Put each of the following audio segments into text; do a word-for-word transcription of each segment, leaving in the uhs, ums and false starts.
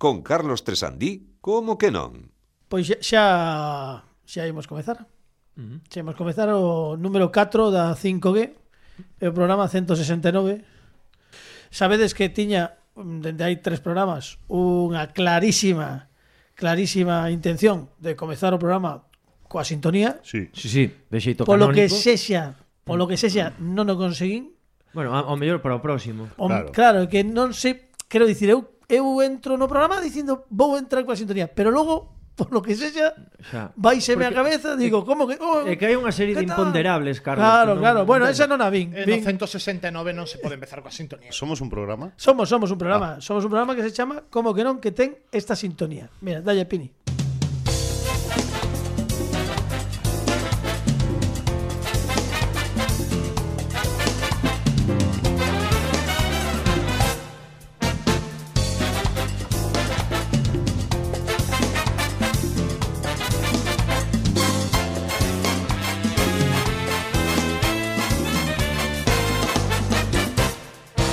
con Carlos Tresandí, como que non? Pois xa xa, xa imos comezar. Uh-huh. Xa imos comezar o número catro da cinco G, o programa ciento sesenta e nove. Sabedes que tiña, dende hai tres programas, unha clarísima, clarísima intención de comezar o programa coa sintonía. Sí, sí, sí, de xeito canónico. Polo que sexa, polo que sexa, non o conseguín. Bueno, ao mellor para o próximo. O, claro. claro, que non sei, quero dicir, eu eu entro no programa dicindo vou entrar coa sintonía, pero logo, por lo que sexa, vaiseme a cabeza, digo, como que... Oh, é que hai unha serie de imponderables, Carlos. Claro, non, claro, bueno, esa non a vin. En vin. no ciento sesenta e nove non se pode empezar coa sintonía. Somos un programa? Somos, somos un programa. Ah. Somos un programa que se chama Como que non, que ten esta sintonía. Mira, dalle Pini.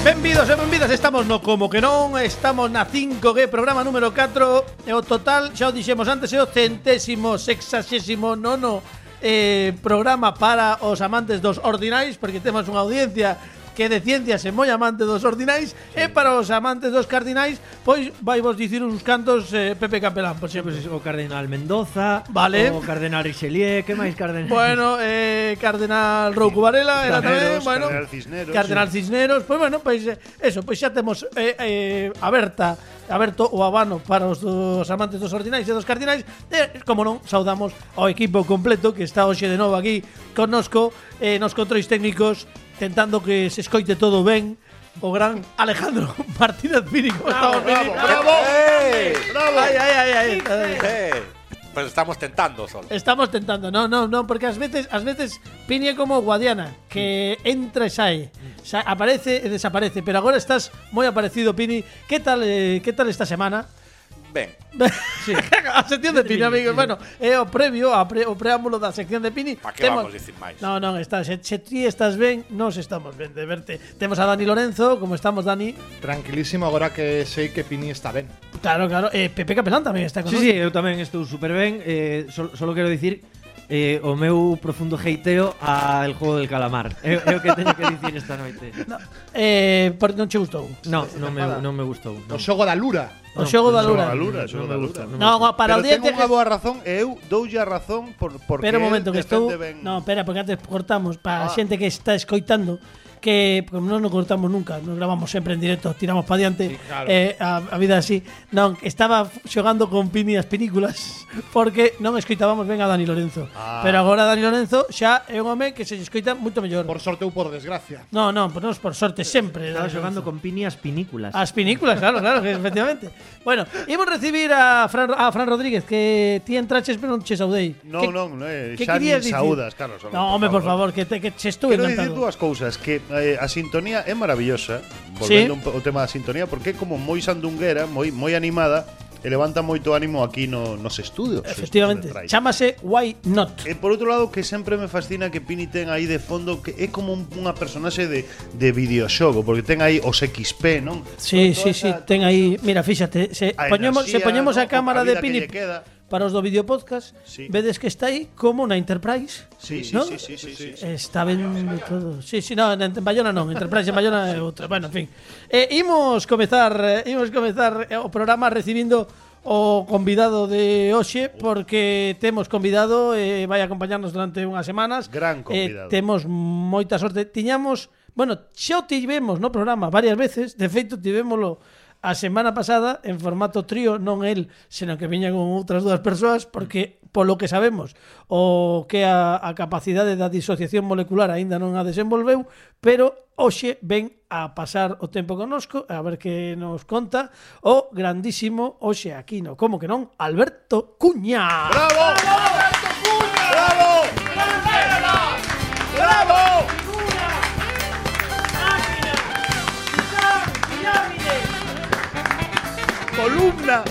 Benvidos e benvidas, estamos no Como que non, estamos na cinco G, programa número catro, e o total, xa o dixemos antes, é o centésimo, sexagésimo nono eh, programa para os amantes dos ordinais, porque temos unha audiencia que de ciencias é moi amante dos ordinais, sí. E para os amantes dos cardinais, pois vai vos dicir uns cantos eh, Pepe Capelán, por exemplo. Pues, o Cardenal Mendoza, vale. O Cardenal Richelieu, que máis Cardenal? Bueno, eh, Cardenal Rouco Varela, era tamén, bueno, Cardenal Cisneros. Cardenal sí. Cisneros, pois bueno, pois eh, eso, pois xa temos eh, eh, aberta aberto o abano para os dos amantes dos ordinais e dos cardinais. E, como non, saudamos ao equipo completo que está hoxe de novo aquí connosco, eh, nos controis técnicos, tentando que se escoite todo ben, o gran Alejandro Martínez Pini. Bravo, bravo, bravo, ¡Eh! Bravo. Ay, ay, ay, ay. Eh, pues estamos tentando solo. Estamos tentando, no, no, no, porque ás veces, ás veces Pini é como Guadiana, que entra e sae, Sa aparece e desaparece, pero agora estás moi aparecido, Pini. Que tal, eh, que tal esta semana? Ben. Sí. A sección de Pini, amigos. Bueno, é o previo, a pre, o preámbulo da sección de Pini. Pa que Temos... vamos dicir máis? No, non, está, se, se ti estás ben, nos estamos ben de verte. Temos a Dani Lorenzo, como estamos, Dani? Tranquilísimo, agora que sei que Pini está ben. Claro, claro. Eh, Pepe Capelán tamén está con Sí, sí, eu tamén estou super ben. Eh, solo, solo quero dicir eh, o meu profundo heiteo al Juego del Calamar. É, é o que teño que dicir esta noite. No, eh, por non che gustou? No, non me, non me gustou. O No. xogo da Lura. O xogo da Lura. xogo da Lura. No, para o día ten unha boa razón e eu doulle a razón por porque Pero un momento que estou ben... No, espera, porque antes cortamos para a Ah. xente que está escoitando que como non nos cortamos nunca, nos gravamos sempre en directo, tiramos pa diante, sí, claro. eh, a, a vida así. Non, estaba xogando con Pini as películas porque non escoitábamos ben a Dani Lorenzo. Ah. Pero agora Dani Lorenzo xa é un home que se escoita moito mellor. Por sorte ou por desgracia. No, no, por, por sorte sempre. Estaba xogando con Pini as pinículas. As pinículas, claro, claro, que efectivamente. Bueno, imos recibir a Fran, a Fran Rodríguez, que ti entraches pero non che saudei. Non, que, non, eh, que xa nin dicir? saúdas, Carlos. No, home, por favor, que, te, que che estou Quero encantado. dicir dúas cousas, que eh, a sintonía é maravillosa, volvendo Sí. un, o tema da sintonía, porque é como moi sandunguera, moi moi animada, e levanta moito ánimo aquí no, nos estudios. Efectivamente, chámase Why Not. E por outro lado, que sempre me fascina que Pini ten aí de fondo, que é como un, unha personaxe de, de videoxogo, porque ten aí os X P, non? Sí, Toda sí, sí, esa- ten aí, mira, fíxate, se a poñemos, se enerxía, poñemos ¿no? a cámara A de vida Pini que lle queda. para os do videopodcast, Sí. vedes que está aí como na Enterprise. Sí, sí, ¿no? sí, sí, sí, sí, sí. Está ben de todo. Sí, sí, no, en Bayona non, Enterprise en Bayona é outra. Bueno, en fin. Eh, imos comezar, eh, imos comezar o programa recibindo o convidado de hoxe, porque temos convidado, eh, vai acompañarnos durante unhas semanas. Gran convidado. Eh, temos moita sorte. Tiñamos, bueno, xa o tivemos no programa varias veces, de feito tivémolo a semana pasada en formato trío, non el, senón que viña con outras dúas persoas, porque polo que sabemos o que a, a capacidade da disociación molecular aínda non a desenvolveu, pero hoxe ven a pasar o tempo connosco, a ver que nos conta o grandísimo hoxe aquí no Como que non, Alberto Cuña. ¡Bravo! ¡Alberto Cuña! ¡Bravo! ¡Bravo! ¡Columna!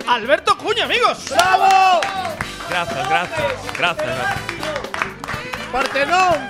Alberto Cuña, amigos. ¡Bravo! Gracias, gracias, gracias, gracias. ¡Partenón!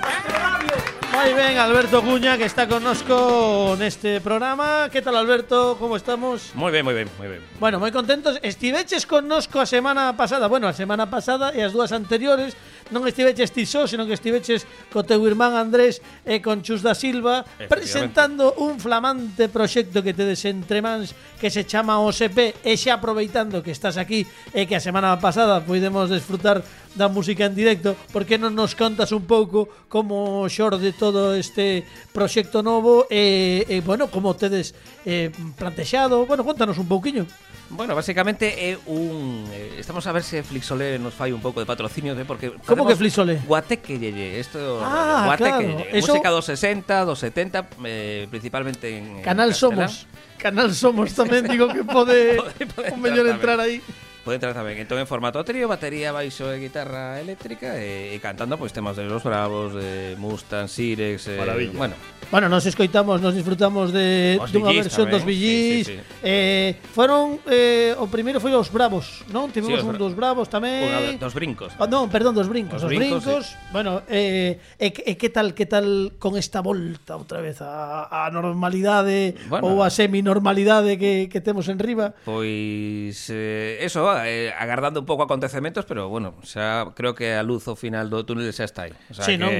Moi ben, Alberto Cuña, que está connosco neste programa. Que tal, Alberto? Como estamos? Moi ben, moi ben, moi ben. Bueno, moi contentos. Estiveches connosco a semana pasada. Bueno, a semana pasada e as dúas anteriores. Non estiveches ti só, senón que estiveches co teu irmán Andrés e con Chus da Silva presentando un flamante proxecto que tedes entre mans que se chama O S P. E xa aproveitando que estás aquí e que a semana pasada podemos desfrutar da música en directo, por que non nos contas un pouco como xorde todo este proxecto novo e, e bueno, como tedes eh, plantexado? Bueno, contanos un pouquiño. Bueno, básicamente é un eh, estamos a ver se Flixolé nos fai un pouco de patrocinio, de porque Como que Flixolé? Guateque Yeye, isto Ah, Guateque claro. Yeye, Eso... música dos sesenta, dos setenta, eh, principalmente en Canal en castelán. Somos. Canal Somos tamén digo que pode Pode- pode o mellor entrar entrar aí. Pode entrar tamén. Entón en formato trío, batería, baixo e guitarra eléctrica e, e cantando pois temas de Los Bravos, de Mustang, Sirex, eh, Maravilla. bueno, Bueno, nos escoitamos, nos disfrutamos de Os dunha Billys versión tamén, dos Billys. sí, sí, sí. Eh, foron eh, o primeiro foi os Bravos, non? Tivemos Sí, os un Bra- dos Bravos tamén. unha dos brincos. Ah, non, perdón, dos brincos, Os os brincos. brincos, Bueno, eh, e, e que tal, que tal con esta volta outra vez a, a normalidade Bueno. ou a semi-normalidade que, que temos en riba? Pois eh, eso, eh, agardando un pouco acontecementos, pero bueno, xa creo que a luz ao final do túnel xa está aí. O sea, Sí, que non?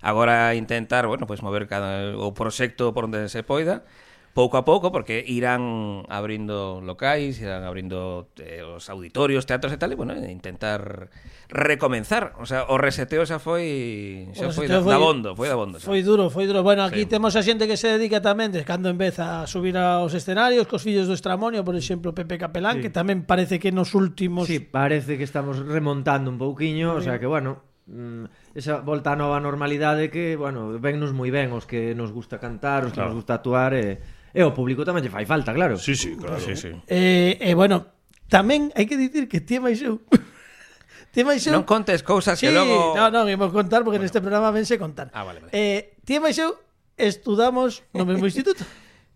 agora intentar, bueno, pois mover cada o proxecto por onde se poida, pouco a pouco, porque irán abrindo locais, irán abrindo eh, os auditorios, teatros e tal, e bueno, intentar recomenzar. O sea, o reseteo xa foi xa O foi reseteo da, da foi- bondo, foi da bondo. Xa. Foi duro, foi duro. Bueno, aquí Sí. temos a xente que se dedica tamén de cando empeza a subir aos escenarios, cos fillos do Estramonio, por exemplo, Pepe Capelán, Sí. que tamén parece que nos últimos... Sí, parece que estamos remontando un pouquiño, o sea que, bueno, mm, esa volta a nova normalidade que, bueno, vennos moi ben os que nos gusta cantar, os que Claro. nos gusta actuar e, e o público tamén lle fai falta, claro. Sí, sí, claro. Sí, sí. Eh, eh, bueno, tamén hai que dicir que ti e máis eu... ti e máis eu... Non contes cousas Sí, que logo no, non, imos contar porque neste programa vense contar. Ah, vale, vale. Eh, ti e máis eu estudamos no mesmo instituto.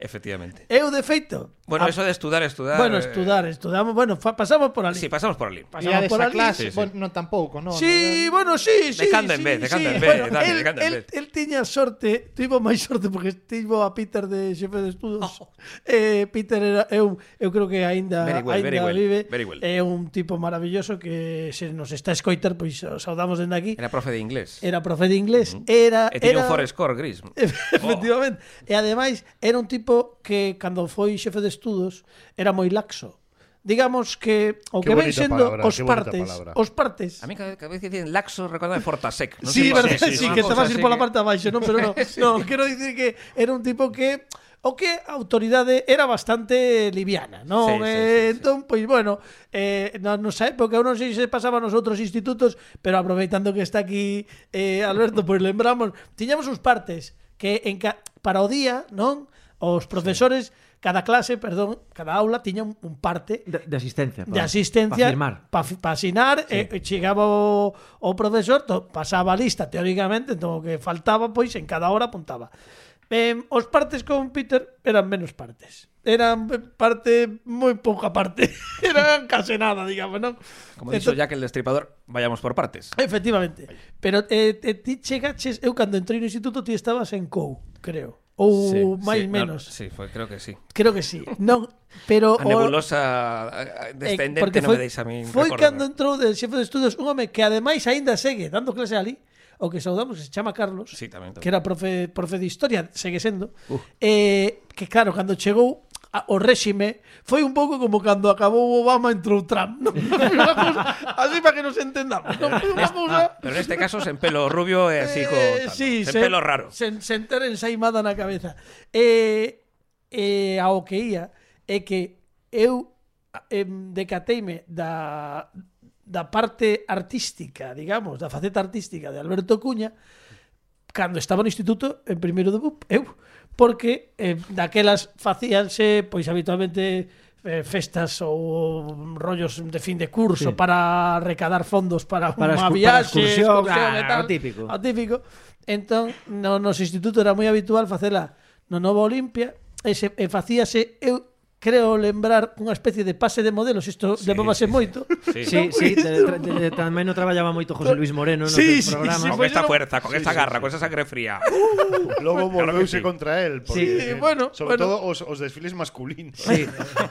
Efectivamente. Eu, de feito... Bueno, a- eso de estudar, estudar. Bueno, eh, estudar, estudamos... Bueno, fa, pasamos por ali. Sí, pasamos por ali. E a Pasamos por desa ali. clase, sí, sí. bueno, non tampouco, non? Sí, bueno, sí, sí. De cando en sí, vez, de cando sí. en vez, Bueno, Dani, él, de cando en él, vez. él tiña sorte, tivo máis sorte porque tivo a Peter de xefe de estudos. Eh, Peter era eu, eu creo que aínda Very well, aínda very well, vive. very well. É un tipo maravilloso que se nos está a escoitar, pois o saudamos dende aquí. Era profe de inglés. Era profe de inglés, era E tiña era un Forescore gris. Efectivamente. E ademais era un tipo que cando foi xefe de estudos era moi laxo. Digamos que o Qué que ven bonita sendo palabra, os qué bonita partes, palabra. os partes. A mí cada, cada vez que dicen laxo recorda de Fortasec. Non Sí, sei por verdad, qué. sí, Unha que te cousa vas a ir así pola que- parte abaixo, non? Pero non, no, quero dicir que era un tipo que o que a autoridade era bastante liviana, non? Sí, sí, eh, sí, sí. Entón, pois bueno, eh, na nosa época, eu non sei se pasaba nos outros institutos, pero aproveitando que está aquí eh, Alberto, pois lembramos, tiñamos uns partes que en ca para o día, non? Os profesores, cada clase, perdón, cada aula tiña un, un parte De, de asistencia. de asistencia Para firmar. para pa asinar, sí. E chegaba o, o profesor, to, pasaba a lista teóricamente, entón o que faltaba, pois en cada hora apuntaba. Eh, os partes con Peter eran menos partes. Eran parte moi pouca parte. Eran case nada, digamos, non? Como dixo Jack el Destripador, vayamos por partes. Efectivamente. Pero eh, eh, ti chegaches, eu cando entrei no instituto ti estabas en C O U, creo. Ou Sí, máis sí, menos. No, sí, foi, creo que sí. Creo que sí. Non, pero A nebulosa a- a- descendente Eh, porque non foi, me deixa a min foi recordar. cando entrou de xefe de estudos un home que ademais aínda segue dando clase ali, o que saudamos, que se chama Carlos, Sí, tamén, tamén. que era profe, profe de historia, segue sendo, uh. eh, que claro, cando chegou a, o réxime, foi un pouco como cando acabou Obama entrou Trump, non? Unha cousa, así para que nos entendamos, non? Foi unha cousa... Pero neste caso sen pelo rubio e así co Eh, tal, sí, sen pelo raro. Sen, sen ter ensaimada na cabeza. E, e ao que ia é que eu em, decateime da, da parte artística, digamos, da faceta artística de Alberto Cuña cando estaba no instituto en primeiro de B U P, eu, porque eh, daquelas facíanse, pois habitualmente eh, festas ou rollos de fin de curso Sí. para recadar fondos para, Para unha excu- para viaxe, excursión, excursión e ah, tal. o típico. O típico. Entón, no noso instituto era moi habitual facela no Novo Olimpia e, se, e facíase eu creo lembrar unha especie de pase de modelos, isto sí, levábase sí, moito. Sí, Sí, sí, de, de, de, de, tamén non traballaba moito José Luis Moreno nos Sí, sí, sí, programas. sí, Con pues esta yo no- fuerza, con Sí, esta sí, garra, sí. con esa sangre fría. Logo Claro que volveuse sí. contra él. Porque, Sí, bueno, sobre bueno. todo os, os desfiles masculinos. Sí.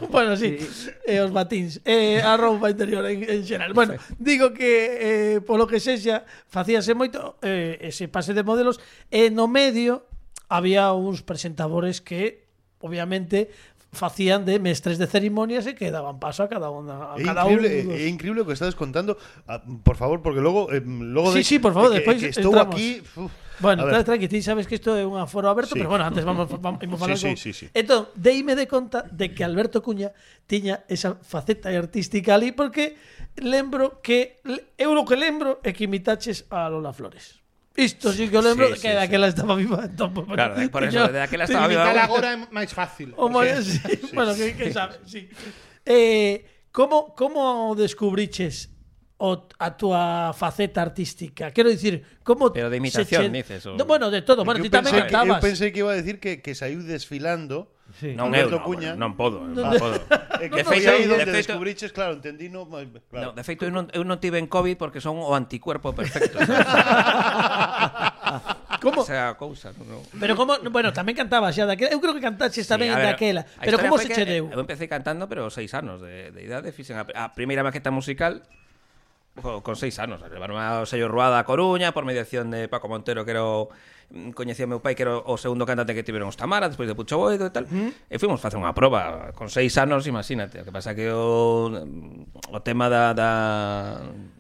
Bueno, sí, e os batins, e a roupa interior en, en xeral. Bueno, digo que eh, polo que sexa, facíase moito eh, ese pase de modelos e no medio había uns presentadores que obviamente facían de mestres de cerimonias e que daban paso a cada unha a É cada increíble, un dos... é increíble o que estás contando. Ah, por favor, porque logo, eh, logo Sí, de, sí, por favor, de que, despois que estou entramos. aquí. Uf, Bueno, a ver. tranqui, ti sabes que isto é un aforo aberto, Sí. pero bueno, antes vamos, vamos, vamos falar Sí, con... sí, sí, sí. Entón, deime de conta de que Alberto Cuña tiña esa faceta artística ali porque lembro que eu o que lembro é que imitaches a Lola Flores. Isto sí que o lembro Sí, que sí, daquela estaba viva. Entón, pues, bueno, Claro, por eso, tiña- de aquela tiña estaba viva. Imitar agora é máis fácil. O moi, sí, bueno, que, que sabe, sí. Eh, como, como descubriches o, a túa faceta artística? Quero dicir, como Pero de se imitación, che- dices, o- No, bueno, de todo. Bueno, Eu ti tamén pensei que- Eu cantabas. pensei que iba a decir que, que saiu desfilando. Sí. Non eu, Alberto non, Cuña. non podo, non Ah. podo. É De que foi feito- aí de onde feito- descubriches, claro, entendí no, No, claro. de feito, eu non, eu non tive en COVID porque son o anticuerpo perfecto. Como? O sea, cousa. No. Pero como, bueno, tamén cantabas xa daquela. Eu creo que cantaches tamén Sí, a ver, daquela. a Pero historia como foi se que che deu? Eu empecé cantando, pero seis anos de, de idade. Fixen a, a primeira maqueta musical co- con seis anos. Levaron ao sello Ruada a Coruña por mediación de Paco Montero, que era o, coñecía o meu pai, que era o segundo cantante que tiveron os Tamara, despois de Pucho Boido e tal. Uh -huh. E fuimos facer unha proba con seis anos, imagínate. O que pasa que o, o tema da, da,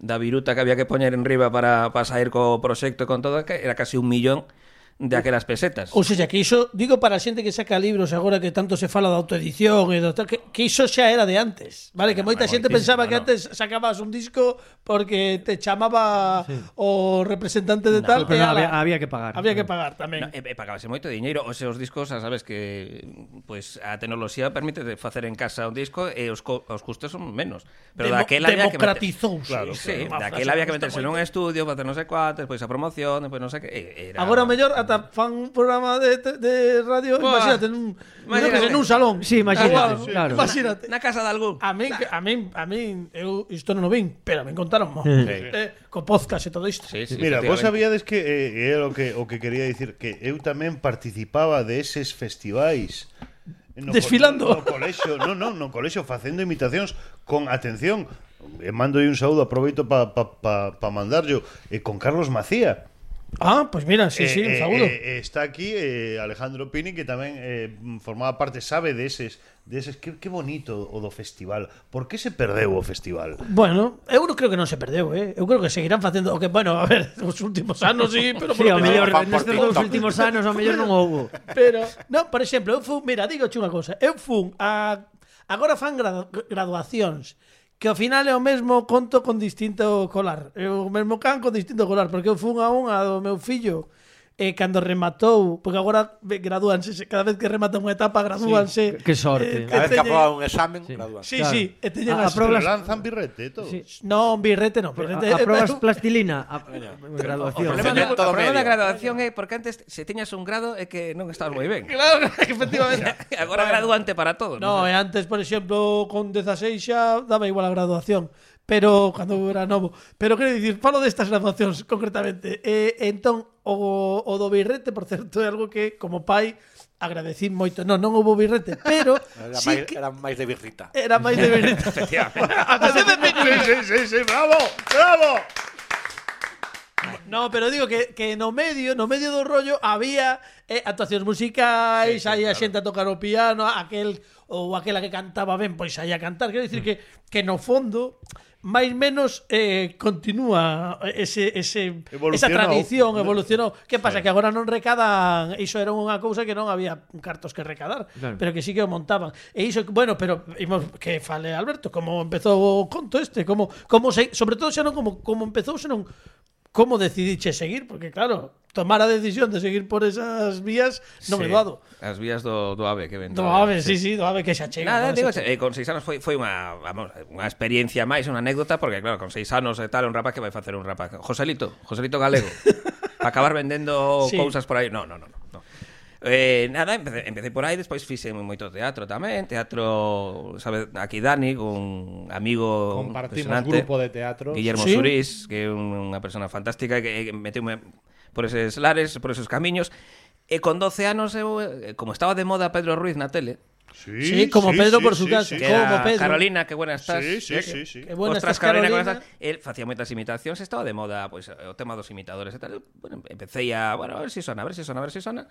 da viruta que había que poñer en riba para, para sair co proxecto e con todo, que era casi un millón de aquelas pesetas. Ou seja, que iso, digo para a xente que saca libros agora que tanto se fala da autoedición e do tal, que, que iso xa era de antes, vale? Que moita xente pensaba que antes sacabas un disco porque te chamaba sí. o representante de No, tal pero e no, ala, había, había que pagar. había que pagar tamén. No, e, e pagabase moito diñeiro. O sea, os discos, xa sabes que pues a tecnoloxía permite facer en casa un disco e os, co os custos son menos. Pero Demo daquela había que meter... democratizouse. Claro, Sí, Unha daquela frase había que me gusta meterse nun moito. estudio, facer non sei cuántos, despois a promoción, despois non sei que... e Era... Agora o mellor ata fan un programa de, de radio, Buah, imagínate, nun, imagínate. en un salón. Sí, imagínate, Igual, claro. Imagínate. Na casa de algún. A min, a min, a min, eu isto non o vin, pero me contaron mo. Sí. Eh, co podcast e todo isto. Sí, sí, Mira, vos efectivamente. sabíades que eh, era o que o que quería dicir que eu tamén participaba de eses festivais no Desfilando. co- no colexio, no, no, no colexio facendo imitacións con atención. E mando un saúdo, aproveito para pa, pa, pa mandarlo eh, con Carlos Macía. Ah, pues mira, sí, sí, un Eh, eh, saúdo. eh, está aquí eh, Alejandro Pini, que tamén eh, formaba parte, sabe de eses, de eses que, que bonito o do festival. Por que se perdeu o festival? Bueno, eu non creo que non se perdeu, eh. Eu creo que seguirán facendo o que, bueno, a ver, os últimos anos sí, pero Sí, ao polo mellor fan por nestes TikTok. dous últimos anos ao mellor non houbo. Pero, non, por exemplo, eu fun, mira, digo unha cosa, eu fun a agora fan gradu, graduacións que ao final é o mesmo conto con distinto colar. É o mesmo can con distinto colar, porque eu fun a unha do meu fillo e cando rematou, porque agora ve- gradúanse, cada vez que rematan unha etapa gradúanse. Sí, que sorte. Cada vez que teñen- aproba un examen, Sí. gradúan. Sí, Claro. sí, e teñen A- as a probas- Pero lanzan birrete e todo. Sí. Non, birrete non, birrete. A, a probas eh, plastilina, a, O graduación. O problema, Defender do, todo o problema da medio. graduación é porque antes se tiñas un grado é que non estabas moi ben. Claro, efectivamente. Agora graduante para todo. No, e antes, por exemplo, con dezaseis xa daba igual a graduación, pero cando eu era novo. Pero quero dicir, falo destas graduacións concretamente. E entón o, o do birrete, por certo, é algo que como pai agradecí moito. Non, non houbo birrete, pero Era, sí máis, que era máis de birrita. era máis de birrete. Sí, sí, sí, sí, bravo, bravo. No, pero digo que, que no medio, no medio do rollo había eh, actuacións musicais, sí, sí, aí a xente a tocar o piano, aquel ou aquela que cantaba ben, pois aí a cantar. Quero dicir que que no fondo máis menos eh, continúa ese, ese, esa Evolucionou. tradición, evolucionou. Que pasa? Sí. Que agora non recadan, iso era unha cousa que non había cartos que recadar, Claro. pero que sí que o montaban. E iso, bueno, pero imos, que fale Alberto, como empezou o conto este, como, como se, sobre todo xa non como, como empezou, senón como decidiche seguir, porque claro, tomar a decisión de seguir por esas vías non é doado. As vías do, do AVE que ven. Do ave, sí, sí, do ave que xa chega. Nada, no, digo, xa eh, con seis anos foi, foi unha, vamos, unha experiencia máis, unha anécdota, porque claro, con seis anos e tal, un rapaz que vai facer un rapaz. Joselito, Joselito Galego. Para acabar vendendo Sí. cousas por aí. No, no, no, no. no. Eh, nada, empecé, empecé por aí, despois fixe moito teatro tamén, teatro, sabe, aquí Dani, un amigo Compartimos impresionante, grupo de teatro. Guillermo Sí. Surís, que é un- unha persona fantástica que, que meteume por eses lares, por esos camiños. E con doce anos eu, eh, como estaba de moda Pedro Ruiz na tele, Sí, como Pedro por su casa. que Como era Pedro. Carolina, que buena estás. Sí, sí, eh, sí, sí. Que buena Ostras, estás, Carolina, que Carolina. buena estás. El facía moitas imitacións, estaba de moda, pois, o tema dos imitadores e tal. Bueno, empecé a, bueno, a ver si sona, a ver si sona, a ver si sona.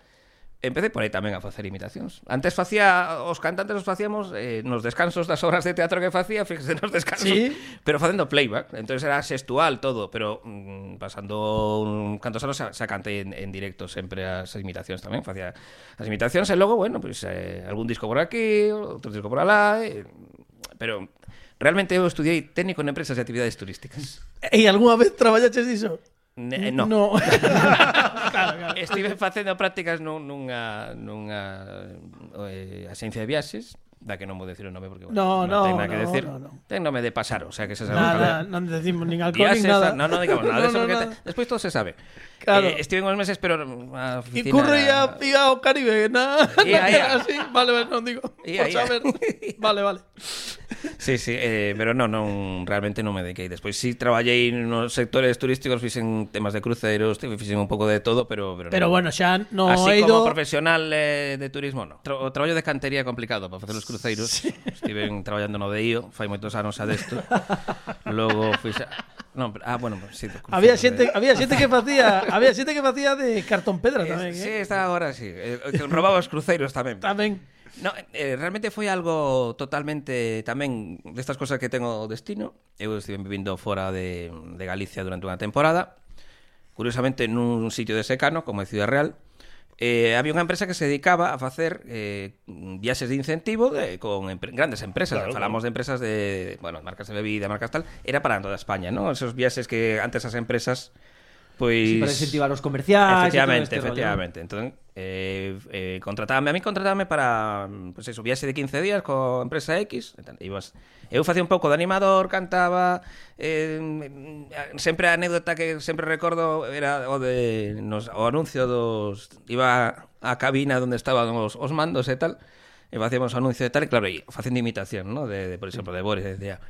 Empecé por aí tamén a facer imitacións. Antes facía, os cantantes os facíamos eh, nos descansos das obras de teatro que facía, fíjese nos descansos, Sí. pero facendo playback. Entonces era sextual todo, pero mm, pasando un cantos anos xa, xa cantei en, en directo sempre as imitacións tamén, facía as imitacións e logo, bueno, pois pues, eh, algún disco por aquí, outro disco por alá, eh, pero realmente eu estudiei técnico en empresas de actividades turísticas. E algunha vez traballaches diso? Ne, no. No. Estive facendo prácticas nun, nunha, nunha eh, axencia de viaxes, da que non vou decir o nome porque No, bueno, no, ten nada que no, decir. no, no. Ten nome de pasar, o sea que se sabe Nada, cal é. non decimos nin alcohol nin Viaxes, nada. no, no digamos nada de eso No, no, porque nada. te- despois todo se sabe. Claro. Eh, estive uns meses pero a E oficina curre era- a ia ao Caribe, na, Ia, na ia. así, vale, vale, non digo. Ia, Por ia. saber. Vale, vale. Sí, sí, eh, pero non, non, realmente non me dediquei. Despois sí traballei nos sectores turísticos, fixen temas de cruceros, fixen un pouco de todo, pero pero, Pero non. bueno, xa no Así he ido. como profesional eh, de turismo, no. Tra o traballo de cantería é complicado para facer os cruceiros. Sí. Estiven traballando no de I O, fai moitos anos a desto. Logo fixa... No, pero, ah, bueno, sí, de Había cruceros, xente, de- había xente que facía, había xente que facía de cartón pedra Eh, tamén, Sí, eh. está agora sí. Eh, que robaba os cruceiros tamén. Tamén. No, eh, realmente foi algo totalmente tamén destas cosas que tengo destino. Eu estive vivindo fora de, de Galicia durante unha temporada, curiosamente nun sitio de secano, como é Ciudad Real. Eh, había unha empresa que se dedicaba a facer eh, viaxes de incentivo de, con empre grandes empresas. Claro, Falamos de empresas de, bueno, marcas de bebida, marcas tal. Era para toda España, ¿no? Esos viaxes que antes as empresas pois Sí, para incentivar os comerciais. efectivamente, e todo este rollo, efectivamente. Entón, eh, eh, contratábame, a mí contratábame para, pues eso, viaxe de quince días co empresa X, e tal, ibas, eu facía un pouco de animador, cantaba, eh, sempre a anécdota que sempre recordo era o de nos, o anuncio dos, iba á cabina onde estaban os, os mandos e tal, e facíamos o anuncio e tal, e claro, e facendo imitación, ¿no? De, de por exemplo, de Boris, decía: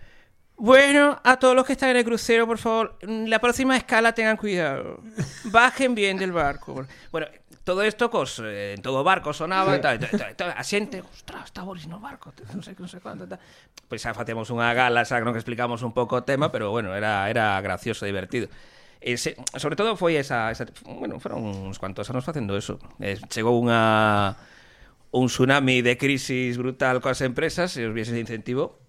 bueno, a todos los que están en el crucero, por favor, la próxima escala tengan cuidado. Bajen bien del barco. Bueno, todo esto, cos, eh, en todo barco sonaba e tal, e tal, e tal, e tal, a xente, ostras, está Boris no barco, non sei que, non sei cuánto, tal. Pois xa facemos unha gala, xa non que explicamos un pouco o tema, pero bueno, era, era gracioso, divertido. Ese, sobre todo foi esa, esa, bueno, foron uns cuantos anos facendo eso. Eh, chegou unha un tsunami de crisis brutal coas empresas e os viaxes de incentivo.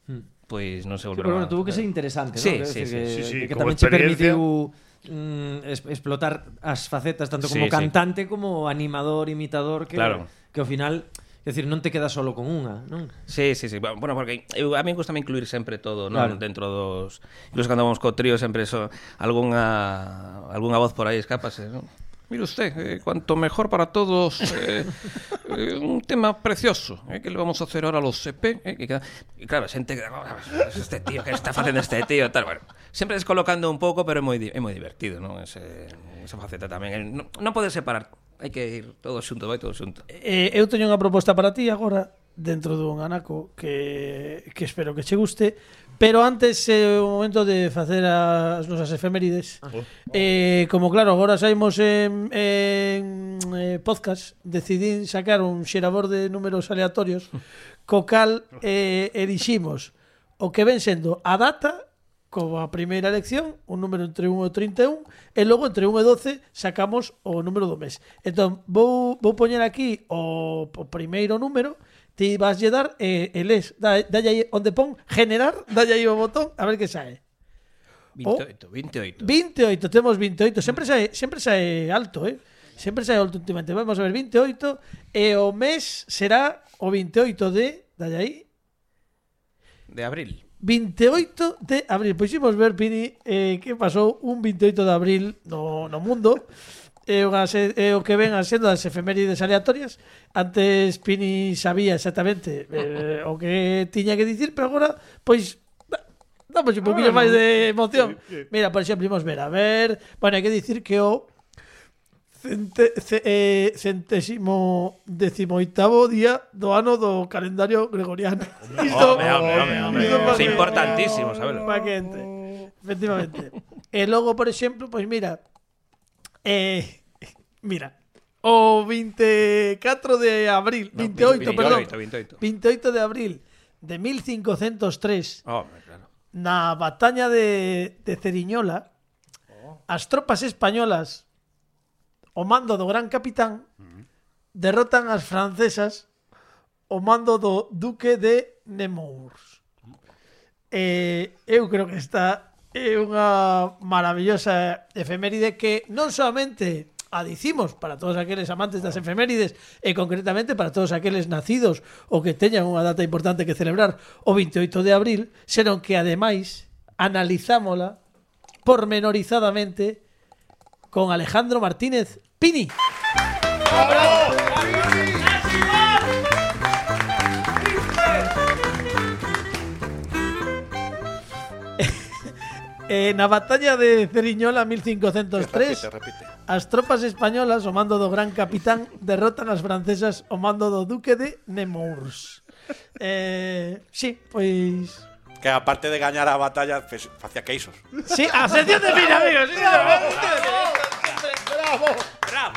Pois non se Sí, volveron pero bueno, a... tuvo que ser interesante, Sí, ¿no? sí, Decir, sí, que, sí, sí, que como tamén che experiencia. permitiu mm, es, explotar as facetas tanto como Sí, sí. cantante como animador, imitador, que, Claro. que ao final, é dicir, non te quedas solo con unha, non? Sí, sí, sí. Bueno, porque eu, a mí gusta incluir sempre todo, non? Claro. Dentro dos... Incluso cando vamos co trío sempre eso, algunha, algunha voz por aí escápase, non? Mire usted, eh, cuanto mejor para todos, eh, eh, un tema precioso, eh, que le vamos a hacer ahora a los C P. Eh, que queda... Y claro, xente que... "Oh, este tío, que está facendo este tío? Tal, bueno, sempre descolocando un pouco, pero é moi, di- é moi divertido, non? Ese, esa faceta tamén. Eh, Non, non podes separar. Hai que ir todo xunto, vai todo xunto. Eh, eu teño unha proposta para ti agora dentro dun anaco que, que espero que che guste, pero antes é eh, o momento de facer as nosas efemérides. Eh, como claro, agora saímos en, en eh, podcast, decidín sacar un xerador de números aleatorios co cal eh, eliximos o que ven sendo a data como a primeira elección, un número entre un e trinta e un, e logo entre un e doce sacamos o número do mes. Entón, vou, vou poñer aquí o, o primeiro número, ti vas lle dar e, e les, da, dalle aí onde pon generar, dalle aí o botón, a ver que sae. veintioito, veintioito. vinte e oito, temos vinte e oito, sempre sae, sempre sae alto, eh? Sempre sae alto últimamente. Vamos a ver, vinte e oito, e o mes será o vinte e oito de, dalle aí, De abril. vinte e oito de abril. Pois imos ver, Pini, eh, que pasou un vinte e oito de abril no, no mundo. É o, é o que ven a sendo as efemérides aleatorias. Antes Pini sabía exactamente eh, o que tiña que dicir, pero agora, pois, da- damos un poquinho máis de emoción. Mira, por exemplo, imos ver, a ver... Bueno, hai que dicir que o Cente, ce, eh, centésimo decimoitavo día do ano do calendario gregoriano. Isto, Home, home, home, home. isto pa Es que- importantísimo, sabelo. pa que entre. Efectivamente. E logo, por exemplo, pois mira, eh, mira, o veinticuatro de abril, No, veintiocho, perdón, veintiocho, veintiocho. veintiocho de abril de mil cincuentos tres, Home, claro. na batalla de, de Ceriñola, as tropas españolas o mando do gran capitán derrotan as francesas o mando do duque de Nemours. Eh, eu creo que esta é unha maravillosa efeméride que non solamente a dicimos para todos aqueles amantes das efemérides e concretamente para todos aqueles nacidos ou que teñan unha data importante que celebrar o veintiocho de abril, senón que ademais analizámola pormenorizadamente con Alejandro Martínez Pini. Eh, na batalla de Ceriñola mil cincuentos tres, Repite, repite. as tropas españolas ao mando do gran capitán derrotan as francesas ao mando do duque de Nemours. Eh, sí, pois Que aparte de gañar a batalla, fes- facía queixos. sí, a sección de Pini, amigos. Sí, ¡Bravo!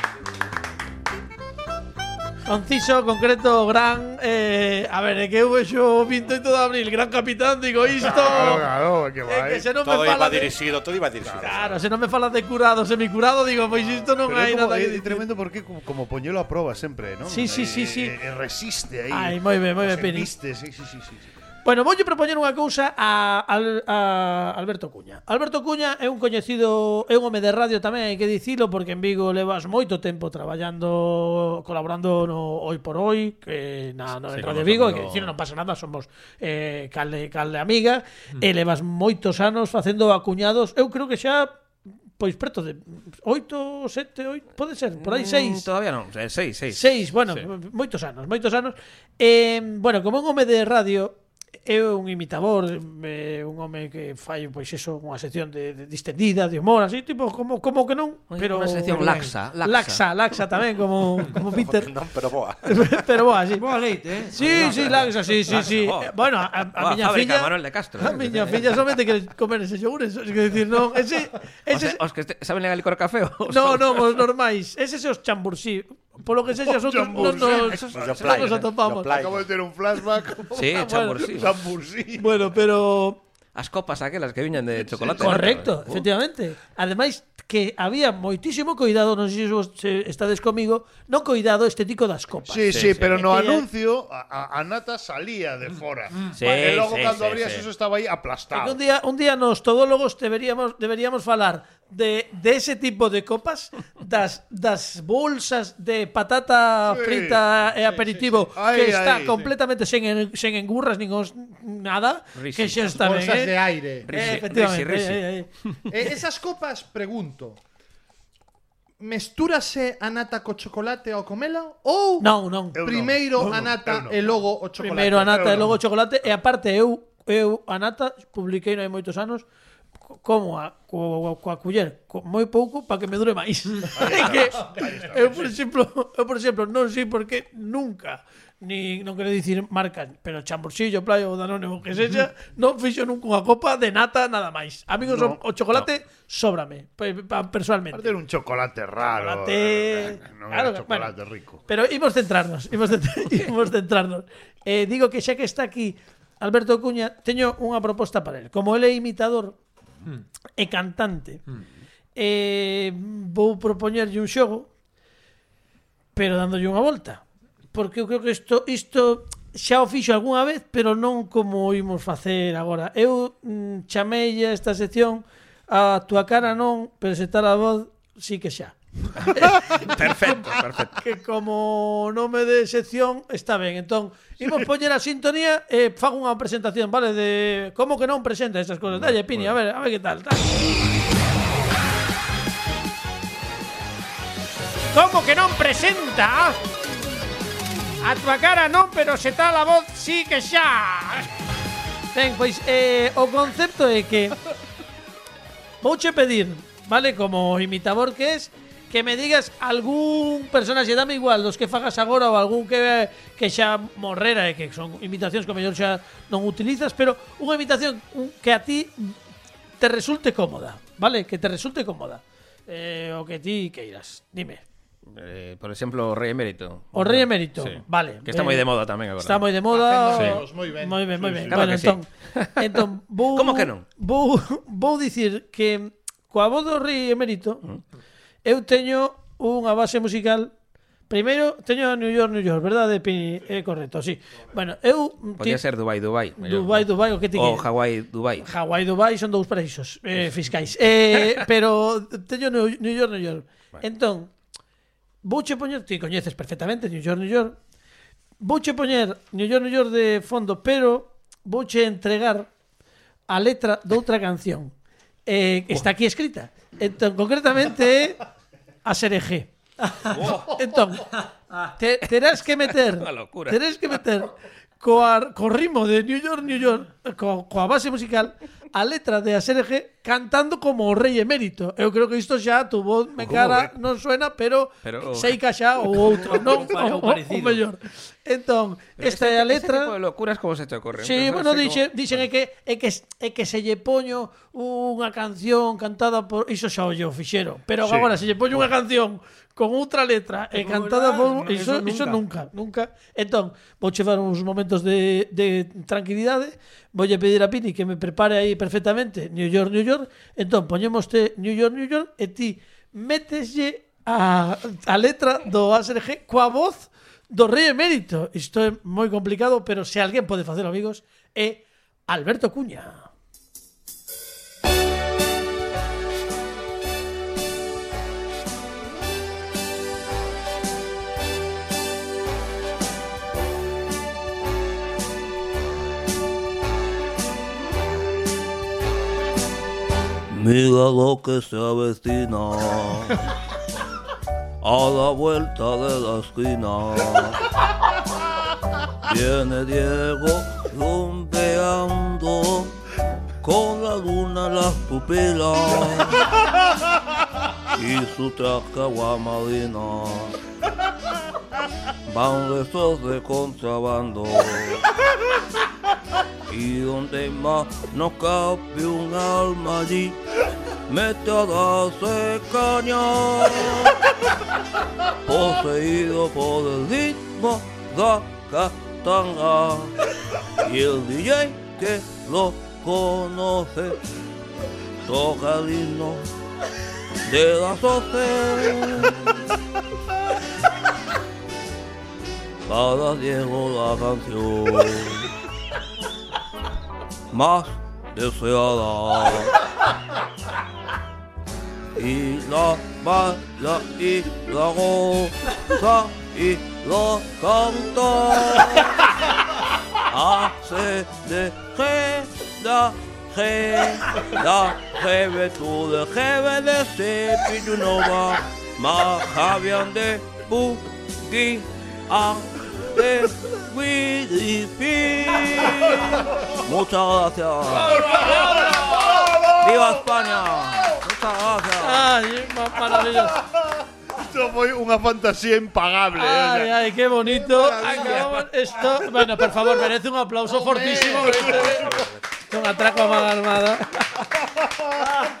conciso, concreto, gran eh, a ver, é que eu vexo o veintiocho de abril, gran capitán, digo isto. Claro, claro, que É que vai. se non Todo me iba fala de, dirixido, todo iba dirixido. claro, se non me fala de curado, semicurado, digo, pois isto non Pero é hai como, nada que é dicir. tremendo porque como, como poñelo a proba sempre, ¿no? Sí, sí, sí, sí. E, e resiste aí. Ai, moi ben, moi ben, Pini. Resiste, sí, sí, sí, sí. Bueno, voulle propoñer unha cousa a, a, a Alberto Cuña. Alberto Cuña é un coñecido, é un home de radio tamén, hai que dicilo, porque en Vigo levas moito tempo traballando, colaborando no Hoy por Hoy, que na, no, en Sí, Radio como Vigo, somos hai que lo- dicilo, non pasa nada, somos eh, calde, calde amiga, mm. e levas moitos anos facendo acuñados, eu creo que xa pois preto de oito, sete, oito, pode ser, por aí seis. Mm, Todavía non, eh, seis, seis. Seis, bueno, Sí. moitos anos, moitos anos. Eh, bueno, como un home de radio, é un imitador, é un home que fai pois eso, unha sección de, de distendida, de humor, así, tipo como como que non, Unha- pero unha sección pero ben. laxa, laxa, laxa. laxa tamén como como Peter. Non, pero boa. Pero boa, sí. Boa leite, eh? Sí, sí, laxa, sí, sí, sí. Laxa, boa. Bueno, a, a Boa miña fábrica, filla Manuel de Castro. A miña filla somente quere comer ese xogures, é dicir, non, ese Os, ese os que este- saben legal licor café os- No, non, os normais. Ese é os chambursí. Polo que sexa, outros non nos, Esos non los play, nos eh, atopamos. los play. Acabo de ter un flashback. Sí, chambursí. Chambursí. Bueno, pero As copas aquelas que viñan de chocolate. correcto, ¿no? efectivamente. Ademais que había moitísimo coidado, non sei se vos se estades comigo, non coidado estético das copas. Sí, sí, Sí, sí. pero no Aquella- anuncio a, a, a nata salía de fora. Sí, E logo sí, cando sí, abrías sí. eso estaba aí Porque aplastado. un día, un día nos todólogos deberíamos deberíamos falar de, de ese tipo de copas, das, das bolsas de patata Sí, frita e aperitivo sí, sí. Aí, que está aí, completamente sen, en- sen engurras nin os, nada, Risi. que xa está ben, Bolsas eh? de aire. Eh, Risi, efectivamente. risi, risi. eh, eh, eh. Eh, esas copas, pregunto. Mestúrase a nata co chocolate ao comela ou Non, non. Eu non, primeiro eu a non, nata eu non. e logo o chocolate? Primeiro a nata e eu logo non. o chocolate e aparte eu eu a nata publiquei non hai moitos anos co- como a co, coa culler, co, moi pouco para que me dure máis. É que eu por exemplo, eu por exemplo non sei por que nunca ni non quero dicir marcas, pero chambursillo, playa ou danone ou que sexa, non fixo nunca unha copa de nata nada máis. Amigos, No, o, o chocolate sóbrame, pe- pa- personalmente. Aparte era un chocolate raro. Chocolate- Non claro, era chocolate bueno. rico. Pero imos centrarnos, imos, centra- imos centrarnos. Eh, digo que xa que está aquí Alberto Cuña, teño unha proposta para él. Como ele é imitador e cantante, eh, vou propoñerlle un xogo, pero dándolle unha volta. Porque eu creo que isto, isto xa o fixo algunha vez, pero non como imos facer agora. Eu mm, chamei a esta sección a túa cara non, pero se tal a voz, sí que xa. Perfecto, perfecto. Que como nome de sección está ben. Entón, imos poñer a sintonía e fago unha presentación, vale, de como que non presenta esas cosas. Dalle, Pini, a ver, a ver que tal. tal. Como que non presenta? A túa cara non, pero se tal a voz, sí que xa. Ben, pois eh, o concepto é que vouche pedir, vale, como imitador que es, que me digas algún personaxe, dame igual, dos que fagas agora ou algún que que xa morrera e que son imitacións que o mellor xa non utilizas, pero unha imitación que a ti te resulte cómoda, vale? Que te resulte cómoda. Eh, o que ti queiras. Dime. Eh, por exemplo, o Rei Emérito. O Rei Emérito, Sí. vale. Que está moi de moda tamén agora. Está moi de moda. Facéndonos moi ben. Moi ben, moi ben. sí. Claro Bueno, que sí. entón, entón vou Como que non? Vou vou dicir que coa voz do Rei Emérito eu teño unha base musical. Primeiro teño New York, New York, verdade? Pini? É correcto, sí. Bueno, eu Podía ti- ser Dubai, Dubai. mellor. Dubai, Dubai, o que ti O queres? Hawaii, Dubai. Hawái e Dubai son dous paraísos eh, fiscais. Eh, pero teño New New York, New York. Entón, vouche poñer, ti coñeces perfectamente New York, New York. Vouche poñer New York, New York de fondo, pero vouche entregar a letra de outra canción. Eh, está aquí escrita. Entón, concretamente é a Serejé. Entón, te, terás que meter Unha locura. terás que meter coa, co ritmo de New York, New York, co, coa base musical, a letra de A S R G cantando como o Rei Emérito. Eu creo que isto xa tu voz me cara non suena, pero, Pero- sei que xa o outro, non? Pa- O, o o, o parecido. mellor. Entón, esta é a Ese tipo letra. de locuras como se te ocurre. Sí, Pero bueno, sei dixe, como- dixen é que é que é que se lle poño unha canción cantada por iso xa o lle o fixeron, pero Sí. agora se lle poño unha canción con outra letra e cantada por iso, Eso iso nunca, nunca. Entón, vou chevar uns momentos de, de tranquilidade, voulle pedir a Pini que me prepare aí perfectamente New York, New York. Entón, poñémoste New York, New York e ti méteslle a, a letra do A S R G coa voz do Rei Emérito. Isto é moi complicado, pero se alguén pode facelo, amigos, é Alberto Cuña. Mira lo que se avecina a la vuelta de la esquina. Viene Diego rumbeando con la luna en las pupilas y su traje aguamarina. Van restos de contrabando y donde más no cabe un alma allí, mete a darse caña, poseído por el ritmo da catanga. Y el D J que lo conoce toca el himno de las doce. Para Diego la canción más deseada y la baila y la goza y lo canta. Hace de G, da G, da G, tú de G, de C, Pillunova, Majavian de Bugui, a de Widipi. Muchas gracias. ¡Viva España! Muchas gracias. Ay, ma- maravilloso. Isto foi unha fantasía impagable. eh, o Ay, sea. ay, qué bonito. Acabamos esto. Bueno, por favor, merece un aplauso fortísimo. Este, un atraco a mano armada.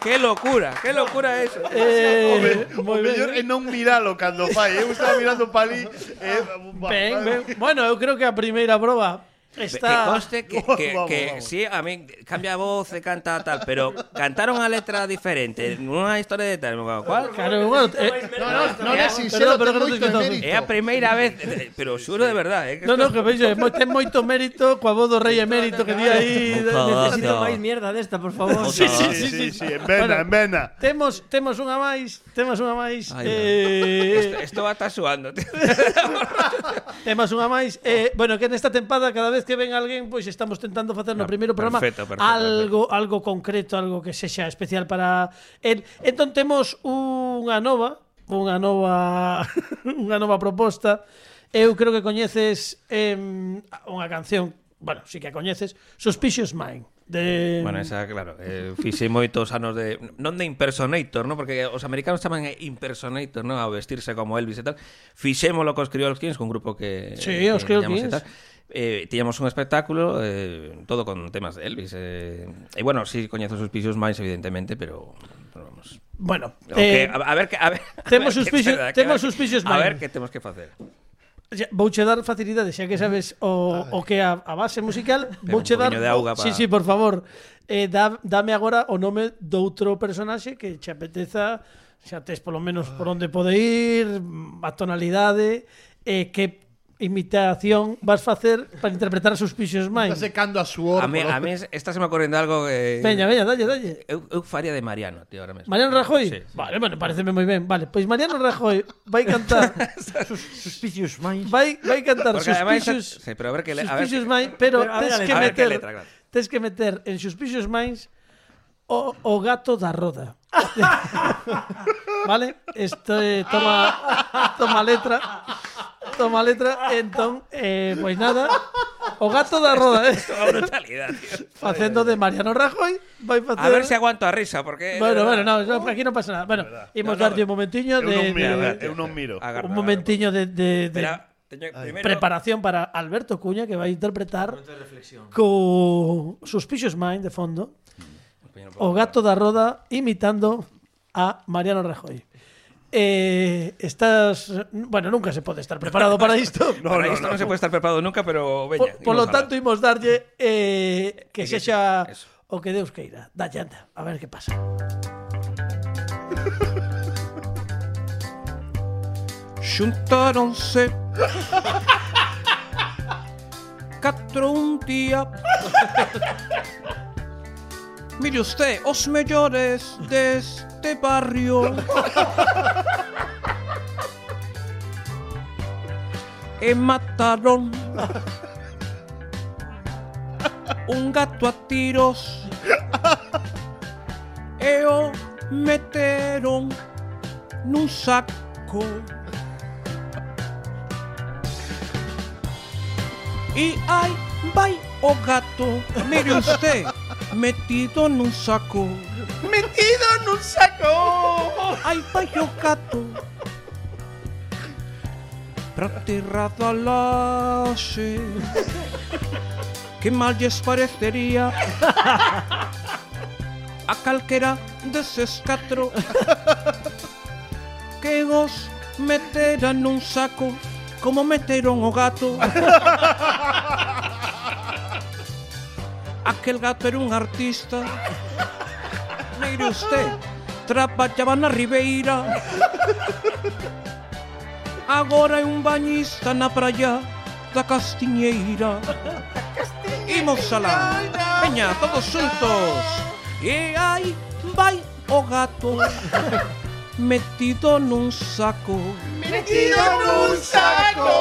¡Qué locura! ¡Qué locura eso! Eh, O moi mellor é ben. non miralo cando fai. Eu estaba mirando pa ali. Eh, Ben, ben. Bueno, eu creo que a primeira proba Que está. conste que, que, Vamos, que vamos. sí, a mí cambia voz e canta tal, pero cantaron a letra diferente, unha historia de tal, ¿cuál? Claro, bueno, eh, No, no, non é Perdón, sincero, pero ten que non te moito escoito. mérito. É a primeira vez, eh, pero xuro de verdade, eh, que no, no, esto- que veis, eh, mo- ten moito mérito coa voz do Rei Emérito que di aí. Muchas Necesito gracias. máis mierda desta, por favor. Sí, sí, Sí, sí, sí, sí. sí, en vena, en vena. Temos, temos unha máis, temos unha máis. Ay, eh, Esto, esto va a estar suando, tío. Temos unha máis. Eh, bueno, que nesta tempada cada vez que ven alguén, pois estamos intentando facer no Ah, primeiro programa perfecto, perfecto, algo algo concreto, algo que sexa especial para el. Entón temos unha nova, unha nova unha nova proposta. Eu creo que coñeces eh, unha canción, bueno, si que a coñeces, Suspicious Mind. De... Bueno, esa, claro, eh, fixei moitos anos de... Non de impersonator, ¿no? Porque os americanos chaman impersonator, ¿no? A vestirse como Elvis e tal. Fixémolo cos Creole Kings, un grupo que... Sí, os Creole Kings. Eh, tiñamos un espectáculo eh, todo con temas de Elvis. Eh, e bueno, sí, coñezo os Suspicious Minds, evidentemente, pero... pero vamos... Bueno, okay, eh, a, a ver que... A ver, temos a ver, suspicious, que, temos que, Suspicious A Minds. ver que temos que facer. Vouche dar facilidade, xa que sabes o, o que a, a base musical, vouche dar... de auga Sí, pa... sí, por favor. Eh, dá, dame agora o nome doutro personaxe que che apeteza, xa tes polo menos por onde pode ir, a tonalidade, eh, que imitación vas facer para interpretar a Suspicious Está Minds. secando a suor. A mí, a mí esta se me ocorrendo algo que... Veña, veña, dalle, dalle. Eu, eu faría de Mariano, tío, ahora mesmo. Mariano Rajoy? Sí, sí. Vale, bueno, pareceme moi ben. Vale, pois Mariano Rajoy vai cantar Suspicious Minds. vai vai cantar Porque además... Suspicious Sí, pero a ver que... Le, a ver, Suspicious Minds, pero, Pero a ver tes a que a ver que meter letra, claro. tes que meter en Suspicious Minds o, o gato da roda. Vale? Isto é, toma toma letra. Toma letra, entón, eh, pois nada, o gato da roda, eh. Toda brutalidad, tío. Facendo de Mariano Rajoy, vai facer... A ver se aguanto a risa, porque... Bueno, bueno, no, no, aquí non pasa nada. Bueno, imos No, no, darlle un momentiño Eu de, non miro, de, eu non miro. Agarra, un momentiño de, de, de Espera, teño, primero... preparación para Alberto Cuña, que vai interpretar co Suspicious Mind de fondo o gato da roda imitando a Mariano Rajoy. Eh, estás... Bueno, nunca se pode estar preparado para isto. No, para no, isto no, no se puede estar preparado nunca, pero veña. Por, por lo tanto, imos darlle eh, que Que sexa eso. o que Deus queira. Dalle, anda, a ver que pasa. Xuntáronse catro un día. Mire usted, os mellores deste barrio e mataron un gato a tiros e o meteron nun saco. Y ay, vai o gato, mire usted, metido nun saco. ¡Metido en un saco! Ay, vai o gato, pra terra da laxe. Que mal lles parecería a calquera deses catro que os meteran nun saco como meteron o gato. Aquel gato era un artista. Mire usted, traballaba na Ribeira. Agora é un bañista na praia da Castiñeira. Imos alá. Veña, todos xuntos. E aí vai o gato metido nun saco. ¡Metido en un saco!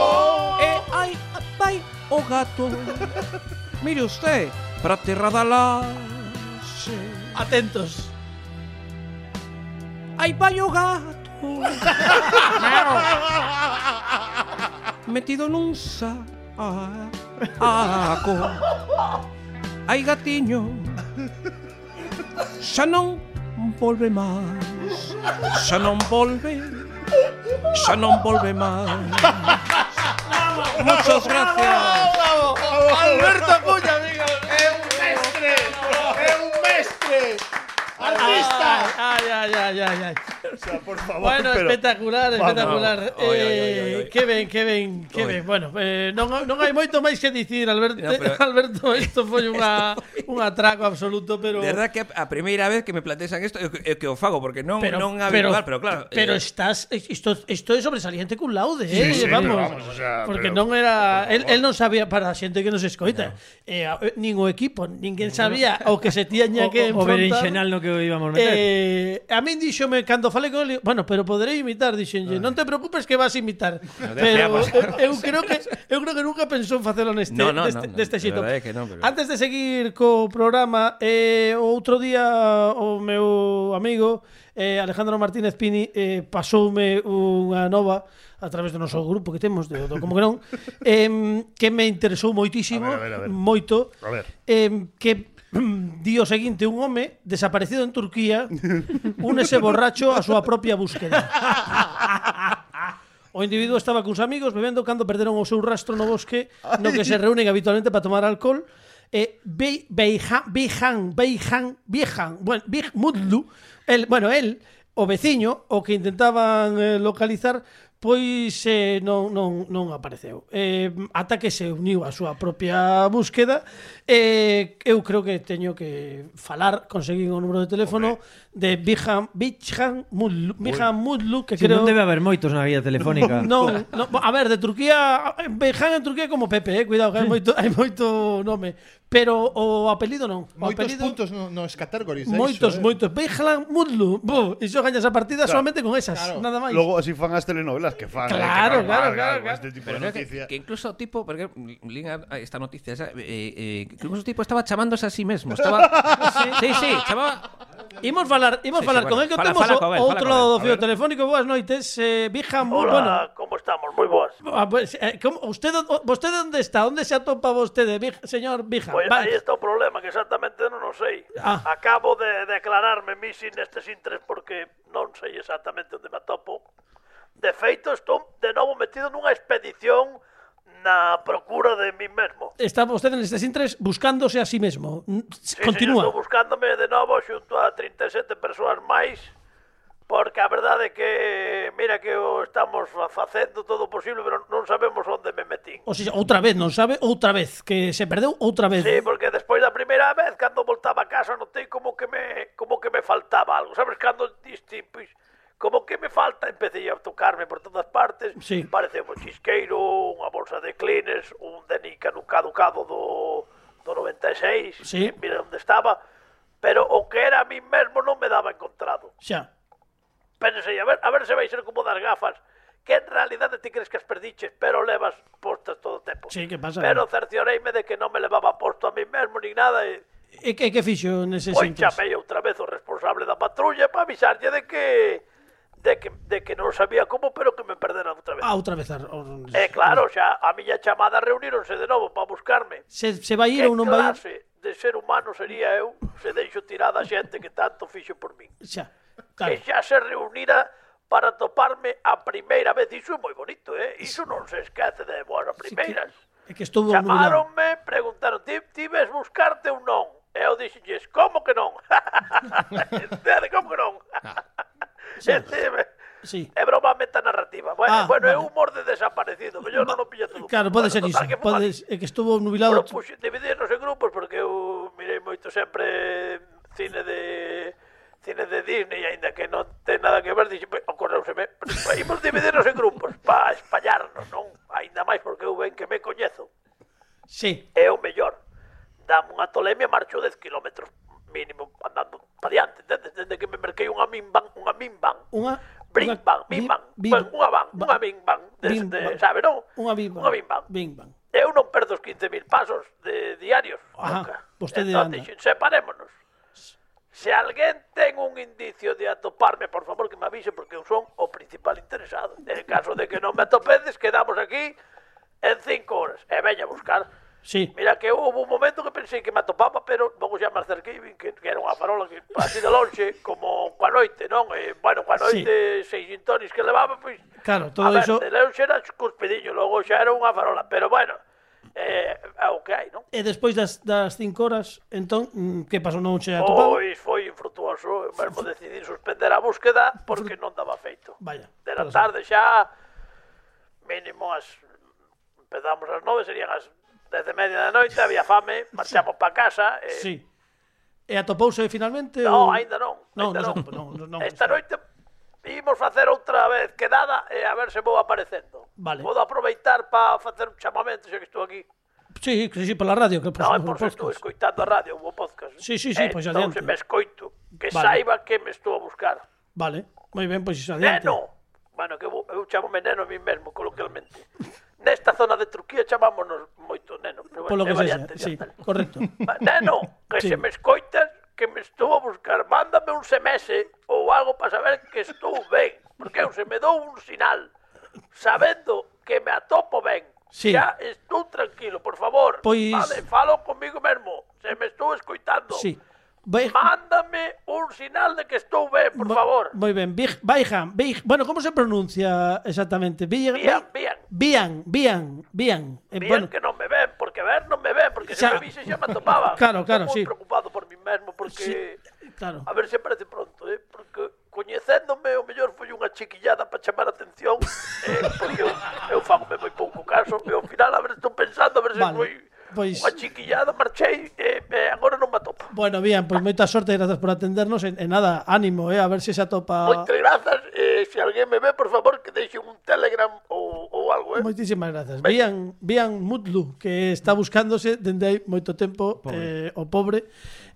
E aí vai o gato. Mire usted, para terra da laxe. Atentos. Aí vai o gato metido nun saco. Ai gatiño, xa non volve máis. Xa non volve, xa non volve máis. Muchas gracias. Alberto Cuña, amigo. ¡Es un mestre! ¡Es un mestre! ¡Artista! Ay, ay, ay, ay, ay. O sea, por favor, Bueno, pero... espectacular, Vamos. espectacular. Oi, oi, oi, Eh, oi, oi. que ben, que ben, que ben. Bueno, eh, non, non hai moito máis que dicir, Alberto. No, pero- Alberto, isto foi unha un atraco absoluto, pero De verdad que a primeira vez que me plantexan isto é que, é que o fago, porque non, pero, non habitual, pero, claro. Pero eh, estás isto isto é sobresaliente cun laude, eh, sí, vamos. vamos, o sea, porque pero- non era el, el non sabía para a xente que nos escoita. Eh, a- nin o equipo, ninguén sabía o que se tiña que O, o enfrontar. berenxenal no que íbamos meter. Eh, a min díxome cando falei con ele, bueno, pero poderei imitar, dixenlle, non te preocupes que vas a imitar. Pero eu, eu creo que eu creo que nunca pensou en facelo neste No, no, deste, no, no, deste de xito. verdade que non, pero- Antes de seguir co programa, eh, outro día o meu amigo eh, Alejandro Martínez Pini eh, pasoume unha nova a través do noso grupo que temos de, do como que non eh, que me interesou moitísimo, A ver, a ver, a ver. moito A ver. eh, que di o seguinte un home desaparecido en Turquía únese borracho a súa propia búsqueda. O individuo estaba cuns amigos bebendo cando perderon o seu rastro no bosque no que se reúnen habitualmente para tomar alcohol. E Beyhan, Beyhan, Beyhan, Beyhan, bueno, Big Mudlu, el, bueno, el, o veciño, o que intentaban eh, localizar, pois eh, non, non, non apareceu. Eh, ata que se uniu a súa propia búsqueda, eh, eu creo que teño que falar, conseguir o número de teléfono de Beyhan, Beyhan Mudlu, Beyhan Mudlu, que Si creo... non debe haber moitos na vía telefónica. Non, non, a ver, de Turquía, Beyhan en Turquía é como Pepe, eh, cuidado, que hai moito, hai moito nome. Pero o apelido non. O Moitos apelido, puntos no, nos categories. moitos, eh. moitos. Beyhan Mudlu. Bo, iso gañas a partida Claro, solamente con esas, claro. nada máis. Logo así fan as telenovelas que fan. Claro, eh, que claro, fan, claro, con claro. Este tipo Pero de creo que, noticia. que incluso tipo, porque linga esta noticia esa, eh, eh, que incluso tipo estaba chamándose a sí mesmo, estaba sí, sí, chamaba. Imos falar, imos Sí, falar sí, con bueno. el que Fala, temos fala o- con él, o fala outro con lado él. do A fío ver. telefónico. Boas noites, eh, Beyhan Mudlu. Hola, Bueno, como estamos? Moi boas. ah, pues, eh, como, usted, vostede onde está? Onde se atopa vostede, Bij- señor Beyhan? Pois Vai. aí está o problema, que exactamente non o sei. Ah. Acabo de declararme missing nestes intres porque non sei exactamente onde me atopo. De feito, estou de novo metido nunha expedición na procura de mí mesmo. Está vostede nestes intres buscándose a sí mesmo. N- Sí, Continúa. Sí, estou buscándome de novo xunto a trinta e sete persoas máis, porque a verdade é que, mira que o estamos fa- facendo todo o posible, pero non sabemos onde me metín. O sea, outra vez, non sabe? Outra vez, que se perdeu outra vez. Sí, porque despois da primeira vez, cando voltaba a casa, notei como que me, como que me faltaba algo. Sabes, cando diste, pois, como que me falta, empecé a tocarme por todas partes. Sí. Parece un chisqueiro, unha bolsa de clines, un denica no caducado do, do noventa e seis. Sí. Que mira onde estaba. Pero o que era a mí mesmo non me daba encontrado. Xa. Pensei, a ver, a ver se vai ser como das gafas, que en realidade ti crees que as perdiches, pero levas postas todo o tempo. Sí, que pasa? Pero cercioreime de que non me levaba posto a mí mesmo, nin nada, e E que, que fixo neses pois intres? chamei outra vez o responsable da patrulla para avisarlle de que de que, de que non sabía como, pero que me perdera outra vez. Ah, outra vez. ar- or- E claro, xa a miña chamada reuníronse de novo para buscarme. Se, se vai ir Que ou non vai ir? clase de ser humano sería eu se deixo tirada a xente que tanto fixo por min. Xa. Que Claro. xa se reunira para toparme a primeira vez. Iso é moi bonito, eh? Iso non se esquece de boas a primeiras. É que estuvo nublado. Chamaronme, preguntaron, ti, ti ves buscarte ou non? E eu dixelles, como que non? Entende, como que non? Entende? Sí. É broma metanarrativa. Bueno, Ah, bueno é vale. humor de desaparecido. Mellor non o pilla todo. Claro, pode Bueno, ser total, iso. que Pode, fomos- é que estuvo nubilado. Propuxen dividirnos en grupos porque eu mirei moito sempre cine de cine de Disney, aínda que non ten nada que ver, dixe, ocorreuseme, imos dividirnos en grupos para espallarnos, non? Aínda máis porque eu ben que me coñezo. Sí. É o mellor. Dame unha tolemia, marcho dez kilómetros mínimo andando para diante, entendes? Desde que me merquei unha minvan, unha minvan. Unha... Bring unha- bang, bim- bing bang, bim- pues, unha van, ba- unha bing bang, bim desde, bang. sabe, non? Unha bim bang. Unha bing bang. Bing bang. Eu non perdo os quince mil pasos de diarios, Ajá, nunca. vostede Entón, anda. dixen, separémonos. Se alguén ten un indicio de atoparme, por favor, que me avise, porque eu son o principal interesado. En caso de que non me atopedes, quedamos aquí en cinco horas. E veña a buscar. Sí. Mira que houve un momento que pensei que me atopaba, pero logo xa me acerquei e vin que, que era unha farola que así de lonxe, como coa noite, non? E, bueno, coa noite, seis sintonis que levaba, pois... Claro, todo a ver, iso- de lonxe era cuspidiño, logo xa era unha farola, pero bueno, eh, é o que hai, non? E despois das, das cinco horas, entón, mm, que pasou? Non se atopado? Pois foi infrutuoso, eu mesmo decidí suspender a búsqueda porque non daba feito. Vaya. De la pode ser. tarde xa, mínimo as... Empezamos as nove, serían as dez e media da noite, había fame, marchamos para casa. E... Sí. E atopouse finalmente? No, ou... aínda non. Non, aínda non, non. non, non, non, Esta noite imos facer outra vez quedada e a ver se vou aparecendo. Vale. Podo aproveitar para facer un chamamento, xa que estou aquí. Sí, que sí, pola radio, que por, Non, por por se estou podcast. escoitando a radio, o podcast. Sí, sí, sí, pois entón, adiante. se me escoito, que Vale. saiba que me estou a buscar. Vale, moi ben, pois iso adiante. Neno! Bueno, que eu, eu chamome neno a mí mesmo, coloquialmente. Nesta zona de Turquía chamámonos moito neno. Pero Polo que é sexa, variante, sí, xa tal. correcto. Va, Neno, que Sí. se me escoitas, que me estou a buscar, mándame un S M S ou algo para saber que estou ben, porque eu se me dou un sinal, sabendo que me atopo ben, Sí. xa estou tranquilo, por favor. Pois- Vale, falo comigo mesmo, se me estou escoitando. Sí. Vai- Mándame un sinal de que estou ben, por Mo- favor. Moi ben, Big- Baihan, Big- bueno, como se pronuncia exactamente? Big- Bien, bien. Bian, Bian, Bian. Eh, Bien bueno, que non me ven, porque ver non me ven, porque se Xa. me vise xa me atopaba. Claro, claro, Estou sí. moi preocupado por mí mesmo, porque... Sí, claro. A ver se aparece pronto, eh? Porque coñecéndome, o mellor foi unha chiquillada para chamar a atención, eh, porque eu, eu fagome moi pouco caso, e ao final, a ver, estou pensando, a ver se Vale, foi pois- unha chiquillada, marchei, e eh, agora non me atopo. Bueno, bien, pois moita sorte, gracias por atendernos e, e nada, ánimo, eh, a ver se se atopa. Moitas grazas, eh, se alguén me ve, por favor, que deixe un Telegram ou, ou algo, eh? Moitísimas grazas. Bian, Bian Mutlu, que está buscándose dende hai moito tempo eh, o pobre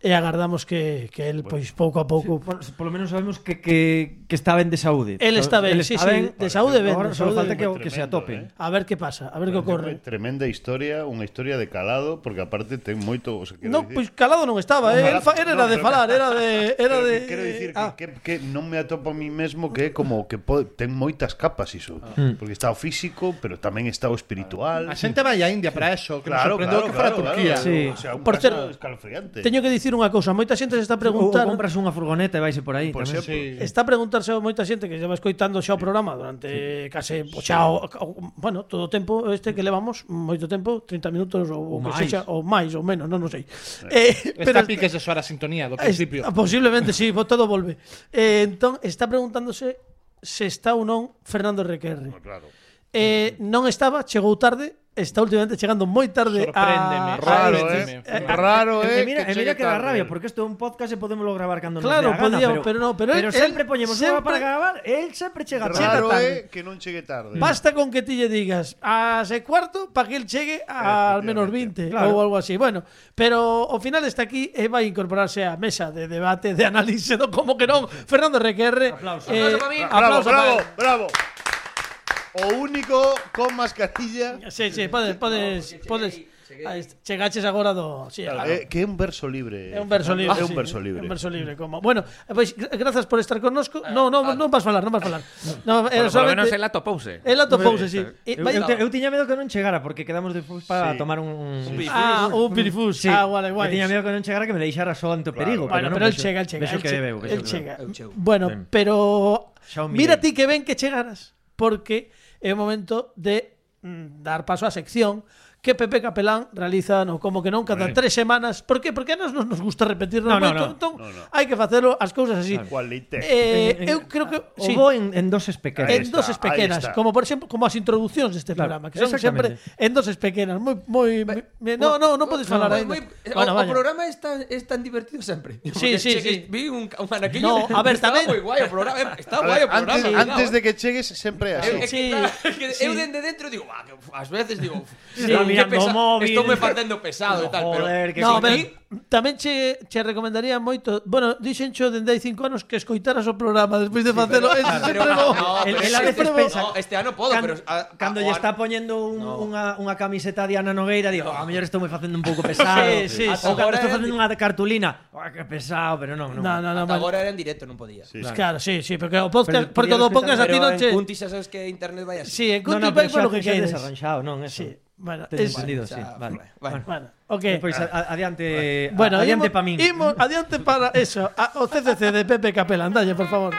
e agardamos que, que el, pois, pouco a pouco... Por, por lo menos sabemos que, que, que está ben de saúde. El está ben, sí, sí, de saúde ben. Agora de só saúde falta ben. que, o- que se atope. eh. A ver que pasa, a ver que ocorre. Tremenda historia, unha historia de calado, porque aparte ten moito, o sea, quero No, dicir- pois calado non estaba, eh. Ojalá- El fa- era no, de pero- falar, era de era Pero de que quero dicir que, ah. que, que non me atopo a mí mesmo, que é como que pode, ten moitas capas iso, porque está o físico, pero tamén está o espiritual. A xente vai a India para eso, que Claro, nos sorprendeu claro, que fora claro, Turquía. claro. Sí. O sea, un Por caso certo, escalofriante. Teño que dicir unha cousa, moita xente se está Ou preguntando. compras unha furgoneta e vaise por aí. Por tamén. exemplo. Sí. Está a preguntarse a moita xente que lleva escoitando xa o programa durante case o xa o, o, bueno, todo o tempo este que levamos, moito tempo, trinta minutos ou o que máis. sexa, ou máis ou menos, non, non sei. Eh, Está piques de soar a sintonía do principio. Es- posiblemente sí, bo- todo volve. Eh, entón está preguntándose se está ou non Fernando Requerre. Claro. Eh, non estaba, chegou tarde, está últimamente chegando moi tarde Sorpréndeme, a... Raro, sorpréndeme. eh. Raro, E eh. mira, e que mira chegue que da tarde. rabia, porque isto é un podcast e podemos gravar cando nos Claro, dé a gana, podíamos, pero, pero no, pero él- sempre él poñemos unha sempre- para gravar, el sempre chega chega Raro tarde. é que non chegue tarde. Basta con que ti lle digas a ese cuarto para que él chegue a al menos veinte Claro. ou algo así. Bueno, pero ao final está aquí e vai incorporarse á mesa de debate, de análise, no, como que non. Fernando Requerre. Aplauso. Eh, Aplauso para mí. Bravo, aplauso bravo, para él. bravo. O único con mascarilla. Sí, sí, podes, podes, podes. Aí está. Chegaches agora do, sí, claro. Eh, que é un verso libre. É un verso libre. É un sí, verso libre. é un verso libre, como. Bueno, pois gra- grazas por estar connosco. No, no, non vas falar, non vas falar. No, Por, era por lo menos solamente el atopouse. el atopouse, sí. E Eu, vai- eu, te, eu tiña medo que non chegara porque quedamos despois para Sí. tomar un, un Ah, un pirifus. Sí. Ah, vale, guai. Eu tiña medo que non chegara que me deixara só ante o perigo, Bueno, non, pero el vexo- chega, el chega. vexo el que che- veu, vexo el que chega. veu. Bueno, Ben. pero Xa o mira mirei. ti que ben que chegaras, porque é o momento de mm, dar paso á sección que Pepe Capelán realiza no como que non cada tres semanas. Por que? Porque a nos nos gusta repetirnos No, no, moito, no. entón No, no. hai que facelo as cousas así. Qualité. Eh, En- en- eu creo que O sí. vou en, en doses pequenas. Ahí En está, doses ahí pequenas, está. como por exemplo, como as introducións deste Claro, programa, que son sempre exactamente. en doses pequenas, moi moi mi- no, no, non podes falar aí. Moi- Bueno, o, o vaya. programa es tan, es tan divertido sempre. Sí, sí, sí. Vi un, un anaquillo. No, a ver, estaba tamén- moi guai o programa. eh, Está A guai ver, o programa. antes, cuidado, antes eh. de que chegues sempre é así. Eu, é que, Sí, claro, é que sí. eu dende dentro digo, "Buah, que ás veces digo, Sí, "Qué mirando pesa- o móvil". estou me facendo pesado e tal, pero Joder, que No, sin pero mí, tamén che, che recomendaría moito. Bueno, dixencho dende hai cinco anos que escoitaras o programa despois de facelo. Eso sempre pero- bo. no, El- pero el a sí, veces pero- pensa- no, este ano podo, Can- pero a- cando a- lle o está ano- poñendo un, No. unha, unha camiseta de Ana Nogueira, digo, a mellor estou me facendo un pouco pesado. Sí, sí, Ou sí. cando Agora estou é- facendo unha cartulina, oh, que pesado, pero non, non. No, no, no, Ata vale. agora era en directo, non podía. Sí. Claro, sí, sí, porque o podcast, Pero porque o do podía podcast a ti Pero non en che. Cuntis xa sabes que internet vai así. Sí, en No, Cuntis no, vai pero polo xa, que xa queires. desarranxado, non, eso. Sí. Bueno, Tes es, entendido, xa, sí. vale, Vale. vale. bueno, ok. Pois a- adiante, Bueno, adiante imos- pa min. imos adiante para eso, a, o C C C de Pepe Capelán, dalle, por favor.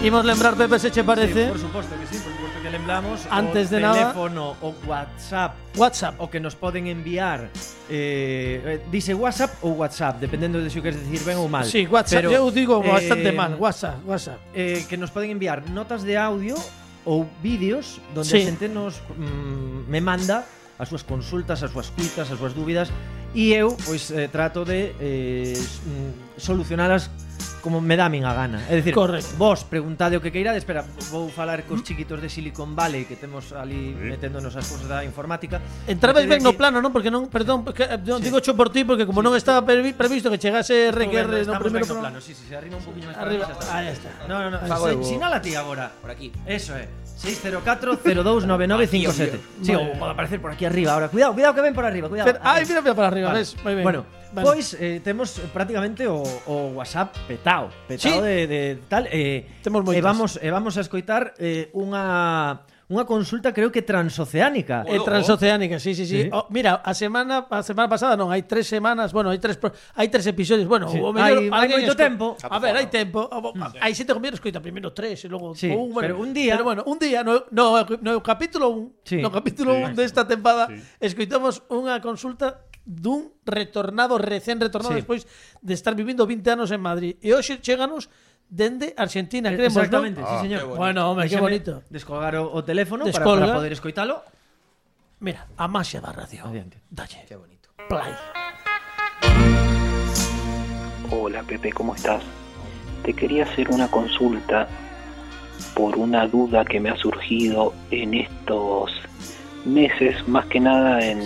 Imos lembrar, Pepe, se che parece, Sí, por suposto que sí, por suposto que lembramos Antes o de nada- teléfono, o WhatsApp, WhatsApp. o que nos poden enviar eh, eh, dice WhatsApp ou WhatsApp, dependendo de se o queres decir ben ou mal. Sí, WhatsApp, Pero, eu digo bastante eh, mal, WhatsApp, WhatsApp. eh, que nos poden enviar notas de audio ou vídeos donde Sí. a xente nos mm, me manda as súas consultas, as súas cuitas, as súas dúbidas e eu pois eh, trato de eh, s- mm, solucionalas como me dá a min a gana. É dicir, Correcto. vos preguntade o que queirades, espera, vou falar cos chiquitos de Silicon Valley que temos ali Sí. meténdonos as cousas da informática. Entrabes Meter ben no aquí- plano, non? Porque non, perdón, porque, eh, non digo cho por ti porque como non estaba previ- previsto que chegase R Q R no Estamos primeiro ben no programa. plano, sí, sí, se arriba un poquinho máis Arriba, para ah, ya está. No, no, no, Fago se- eu. sinala ti agora. Por aquí. Eso é. seis cero catro cero dous nove nove cinco sete. Sí, ou pode aparecer por aquí arriba ahora. Cuidado, cuidado que ven por arriba, cuidado. Pero, ai, mira, mira para arriba, Vale. ves? Moi ben. Bueno, Vale. pois eh, temos prácticamente o, o WhatsApp petao, petao Sí. de, de tal, eh, Temos moitas. e vamos e vamos a escoitar eh, unha unha consulta creo que transoceánica. É transoceánica, sí, sí, sí. Sí. Oh, mira, a semana a semana pasada non, hai tres semanas, bueno, hai tres pro- hai tres episodios, bueno, Sí. o mellor Hai- hai alguén moito esco- tempo. A ver, hai tempo. O- Hai xente que mellor escoita primeiro tres e logo Sí, un, bueno, pero un día- Pero bueno, un día no no no capítulo un, Sí. no capítulo un desta tempada escoitamos unha consulta dun retornado, recén retornado Sí. despois de estar vivindo vinte anos en Madrid. E hoxe chéganos dende Argentina, creemos, Exactamente, ¿no? sí, señor. Bueno, hombre, qué Déxame bonito. Descolgar o, o teléfono para, Descolga. para poder escoitalo. Mira, a maxia da radio. Adiante. Dalle. Qué bonito. Play. Hola Pepe, ¿cómo estás? Te quería hacer una consulta por una duda que me ha surgido en estos meses, más que nada en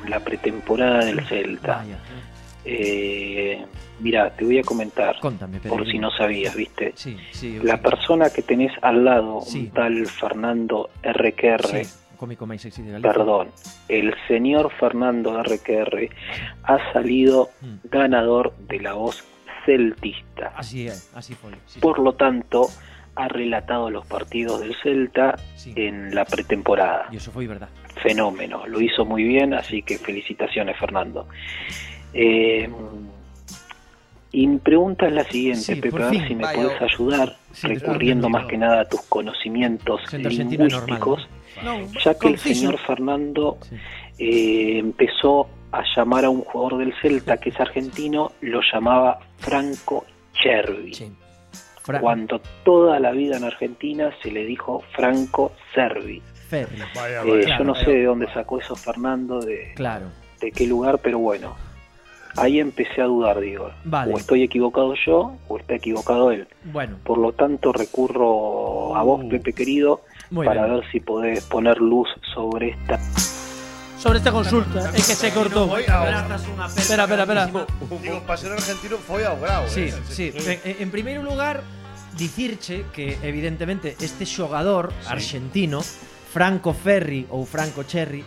la pretemporada del Celta. Vaya. Eh, mira, te voy a comentar, Contame, por Pedro. si no sabías, ¿viste? Sí, sí. eu La sí. persona que tenés al lado, Sí. un tal Fernando R Q R, Sí, o cómico máis sexy de Galicia. perdón, el señor Fernando R Q R ha salido Mm. ganador de la voz celtista. Así é, así foi. Sí, Por lo tanto, ha relatado los partidos del Celta Sí. en la pretemporada. E iso foi verdad. Fenómeno, lo hizo muy bien, así que felicitaciones, Fernando. Eh, y mi pregunta es la siguiente, Sí, Pepe, por a ver fin. si me Vaya. puedes ayudar, Sí, recurriendo después más que nada a tus conocimientos Siendo argentino lingüísticos, No, ya que el conciso. señor Fernando Sí. eh, empezó a llamar a un jugador del Celta que es argentino, lo llamaba Franco Cervi. Sí. Fra Cuando toda la vida en Argentina se le dijo Franco Cervi. Ferri. Vaya, Eh, vaya. yo no sé de dónde sacó eso Fernando, de, Claro. de qué lugar, pero bueno, ahí empecé a dudar, digo, Vale. o estoy equivocado yo o está equivocado él. Bueno, Por lo tanto, recurro a vos, Pepe querido, muy para bien. ver si podés poner luz sobre esta. Sobre esta consulta, é que se cortou. Foi ao- Abrazas unha pena Espera, espera, espera. Digo, para ser argentino foi ao grau, Sí, eh. sí. En, en primeiro lugar, dicirche que evidentemente este xogador argentino, Franco Ferri ou Franco Cherry,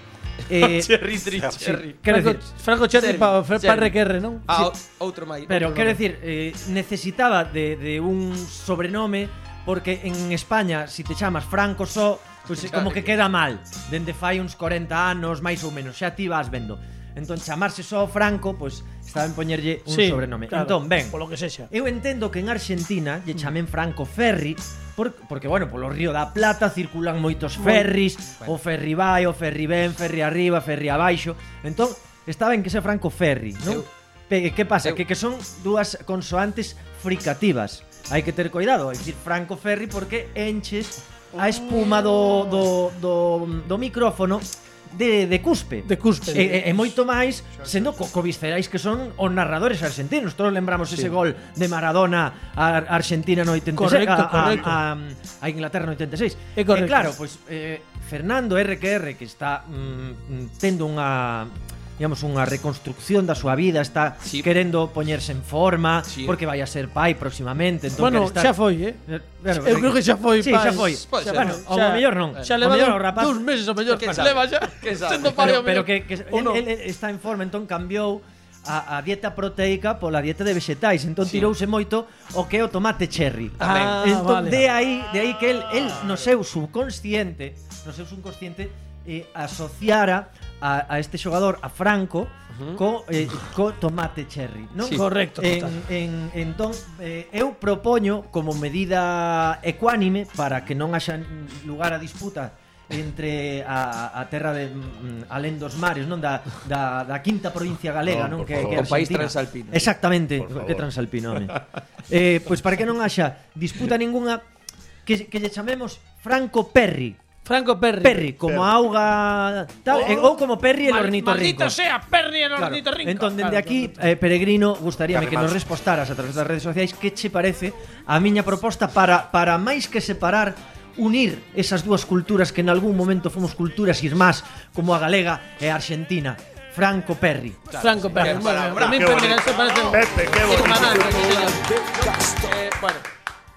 eh, Cherry, Cherry, Cherry. quero Franco, decir, Franco Cherry Cherry, para pa Cherry. R Q R, non? Ah, outro máis. pero outro quero nome. decir, eh, necesitaba de, de un sobrenome porque en España, si te chamas Franco só, pois pues, como que queda mal. Dende fai uns corenta anos, máis ou menos, xa ti vas vendo. Entón, chamarse só Franco, pois pues, estaba en poñerlle un Sí, sobrenome. claro, Entón, ben, polo que sexa. eu entendo que en Argentina lle chamen Franco Ferri por, porque, bueno, polo Río da Plata circulan moitos ferris, o ferri vai, o ferri ben, ferri arriba, ferri abaixo. Entón, está ben que sea Franco Ferri, non? Eu- Pe, que pasa? eu- Que, que son dúas consoantes fricativas. Hai que ter cuidado, é dicir Franco Ferri porque enches a espuma do, do, do, do micrófono de, de cuspe. De cuspe. E, e, e moito máis sendo co, co viscerais que son os narradores argentinos. Todos lembramos ese gol de Maradona a Argentina no oitenta e seis, Correcto, a, correcto. A, a, a Inglaterra no oitenta e seis. É correcto. E claro, pois eh, Fernando R Q R que está mm, tendo unha digamos unha reconstrucción da súa vida, está Sí. querendo poñerse en forma Sí. porque vai a ser pai próximamente, entón Bueno, quere estar... xa foi, eh? Bueno, Eu creo que xa foi, Sí, pai. xa foi. Pode ser. Bueno, Xa- ao mellor non. Xa Ao leva mellor dous, o rapaz dous meses ao mellor. Quen Se sabe? leva xa. Quen sabe? Sendo pai Pero, ao pero mellor. que, que Ou non. él, él está en forma, entón cambiou a, a dieta proteica pola dieta de vexetais, entón Sí. tirouse moito o que é o tomate cherry. Ah, entón vale. de aí, de aí que él, él no seu subconsciente, no seu subconsciente eh, asociara a, a este xogador a Franco uh-huh. co, eh, co tomate cherry, non? Sí. Correcto, En, total. en, entón eh, eu propoño como medida ecuánime para que non haxa lugar a disputa entre a, a terra de mm, alén dos mares, non da, da, da quinta provincia galega, No, non por que, favor. que é O país Argentina. transalpino. Exactamente, Por favor. que transalpino, home. eh, pois para que non haxa disputa ningunha que, que lle chamemos Franco Perri. Franco Perri. Perri, como auga tal, Oh, e- ou como Perri el Mal- ornitorrinco. Maldito sea, Perri el Claro. ornitorrinco. Entón, dende Claro, aquí, claro. eh, Peregrino, gustaríame que nos Carremanso. respostaras a través das redes sociais que che parece a miña proposta para, para máis que separar, unir esas dúas culturas que en algún momento fomos culturas irmás, como a galega e a argentina. Franco Perri. Franco Perri. Qué Bueno, palabra. a mí Qué Perri bonito. se parece un... Pepe, qué bonito. hermanazo, sí, señor. Eh, bueno,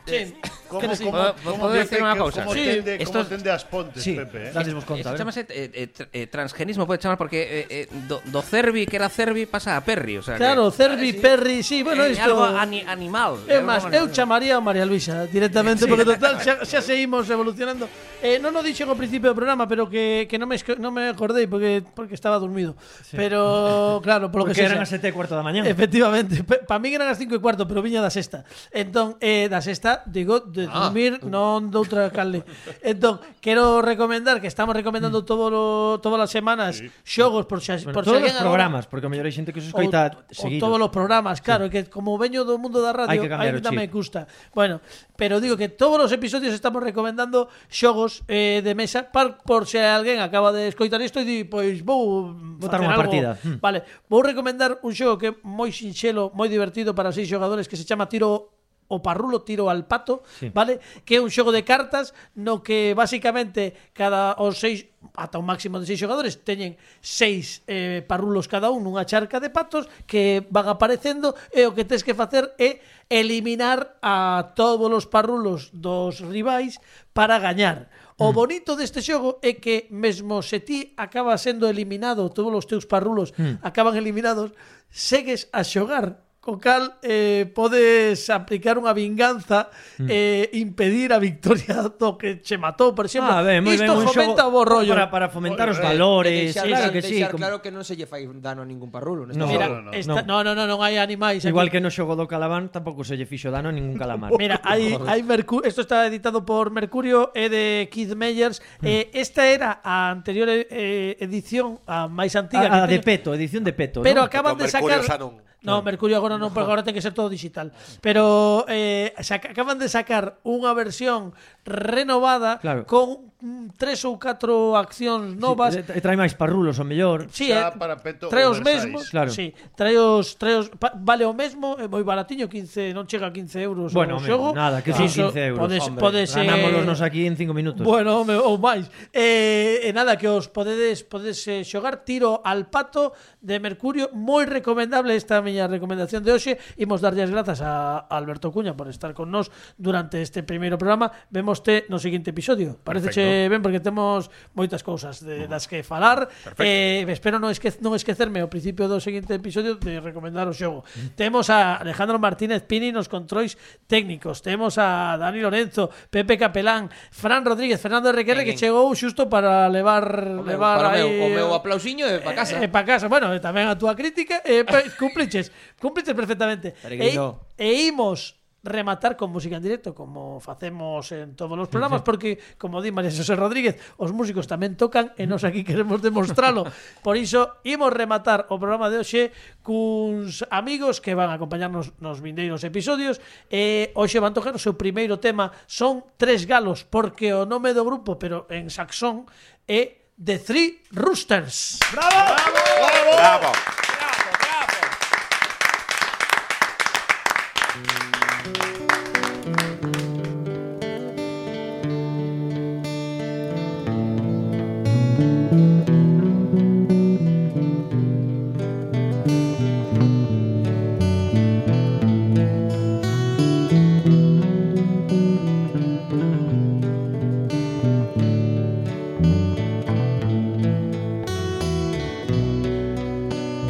Sí. Como, Queres ir? como, ¿Puedo- como puedo decir Pepe, una que- cousa? Como Sí. tende, Esto como es- tende as pontes, Sí, Pepe, eh? dades vos conta, a Isto ver. chamase eh, eh, tr- eh, transgenismo, pode chamar porque eh, eh, do, do Cervi, que era Cervi, pasa a Perri, o sea, Claro, que, Cervi, sí. Perri, sí, bueno, é isto algo ani, animal. É é máis, algo eu animal. chamaría a María Luisa directamente, porque total xa, xa seguimos evolucionando. Eh, non o dixen ao principio do programa, pero que, que non, me, esco- non me acordei porque, porque estaba dormido. Pero, claro, polo Porque que eran sexa. as sete e cuarto da mañá. Efectivamente, para mí eran as cinco e cuarto, pero viña da sexta. Entón, eh, da sexta, digo, de dormir, non doutra calde. Entón, quero recomendar, que estamos recomendando todo lo, todas as semanas xogos por xa, Bueno, por todos si os alguén programas, porque a mellor hai xente que se Ou- escoita ou seguido. todos os programas, claro, que como veño do mundo da radio, Hai que cambiar o ainda chip. me gusta. Bueno, pero digo que todos os episodios estamos recomendando xogos eh, de mesa par, por se alguén acaba de escoitar isto e di, pois vou Botar facer unha algo. partida. Mm. Vale, vou recomendar un xogo que é moi sinxelo, moi divertido para seis xogadores que se chama Tiro o Parrulo, Tiro al Pato, Sí. vale? Que é un xogo de cartas no que basicamente cada os seis ata un máximo de seis xogadores teñen seis eh, parrulos cada un nunha charca de patos que van aparecendo e o que tes que facer é eliminar a todos os parrulos dos rivais para gañar. O bonito deste xogo é que mesmo se ti acabas sendo eliminado, todos os teus parrulos acaban eliminados, segues a xogar. Co cal eh, podes aplicar unha vinganza e eh, impedir a victoria do que che matou, por exemplo. Ah, ben, moi ben, Isto un fomenta xogo o bo rollo. para, para fomentar os Moi ben. valores, deixar, claro que sí. deixar como- claro que non se lle fai dano a ningún parrulo. neste No. Mira, no, no. esta, no, no, no, non hai animais aquí. Igual que no xogo do Calabán tampouco se lle fixo dano a ningún calamar. Mira, hai, hai Mercurio, esto está editado por Mercurio, é de Keith Meyers. Eh, esta era a anterior eh, edición, a máis antiga. A, a que de teño, Peto, edición de Peto, pero ¿no? acaban Con de Mercurio sacar. xa non. No, Mercurio agora non, porque agora ten que ser todo digital. Pero eh, saca, acaban de sacar unha versión renovada Claro. con mm, tres ou catro accións novas. Sí, e trae máis parrulos, o mellor. Sí, Xa eh, para peto trae os oversize. mesmos, Claro. sí, trae os, trae os pa, vale o mesmo, é moi baratiño, quince, non chega a quince euros o Bueno, home, xogo. nada, que Iso son quince euros. Podes, Hombre, podes, eh, ganámolos nos aquí en cinco minutos. Bueno, home, ou máis. Eh, e nada, que os podedes podedes eh, xogar Tiro al Pato de Mercurio, moi recomendable esta miña recomendación de hoxe. Imos darlle as grazas a Alberto Cuña por estar con nós durante este primeiro programa. Vémoste no seguinte episodio. Pareceche ben porque temos moitas cousas de, das que falar. Eh, espero non, esque, non esquecerme ao principio do seguinte episodio de recomendar o xogo. Temos a Alejandro Martínez Pini nos controis técnicos. Temos a Dani Lorenzo, Pepe Capelán, Fran Rodríguez, Fernando Requerre, que chegou xusto para levar O meu, levar para o meu, aí o meu aplausiño é para casa. Eh, para casa, bueno, e tamén a túa crítica, eh, pe- cumpliches, cumpliches perfectamente. E, Peregrino. e imos rematar con música en directo, como facemos en todos os programas, porque, como di María José Rodríguez, os músicos tamén tocan e nós aquí queremos demostralo. Por iso, imos rematar o programa de hoxe cuns amigos que van a acompañarnos nos vindeiros episodios. E hoxe van tocar o seu primeiro tema, son Tres Galos, porque o nome do grupo, pero en saxón, é The Three Roosters. Bravo.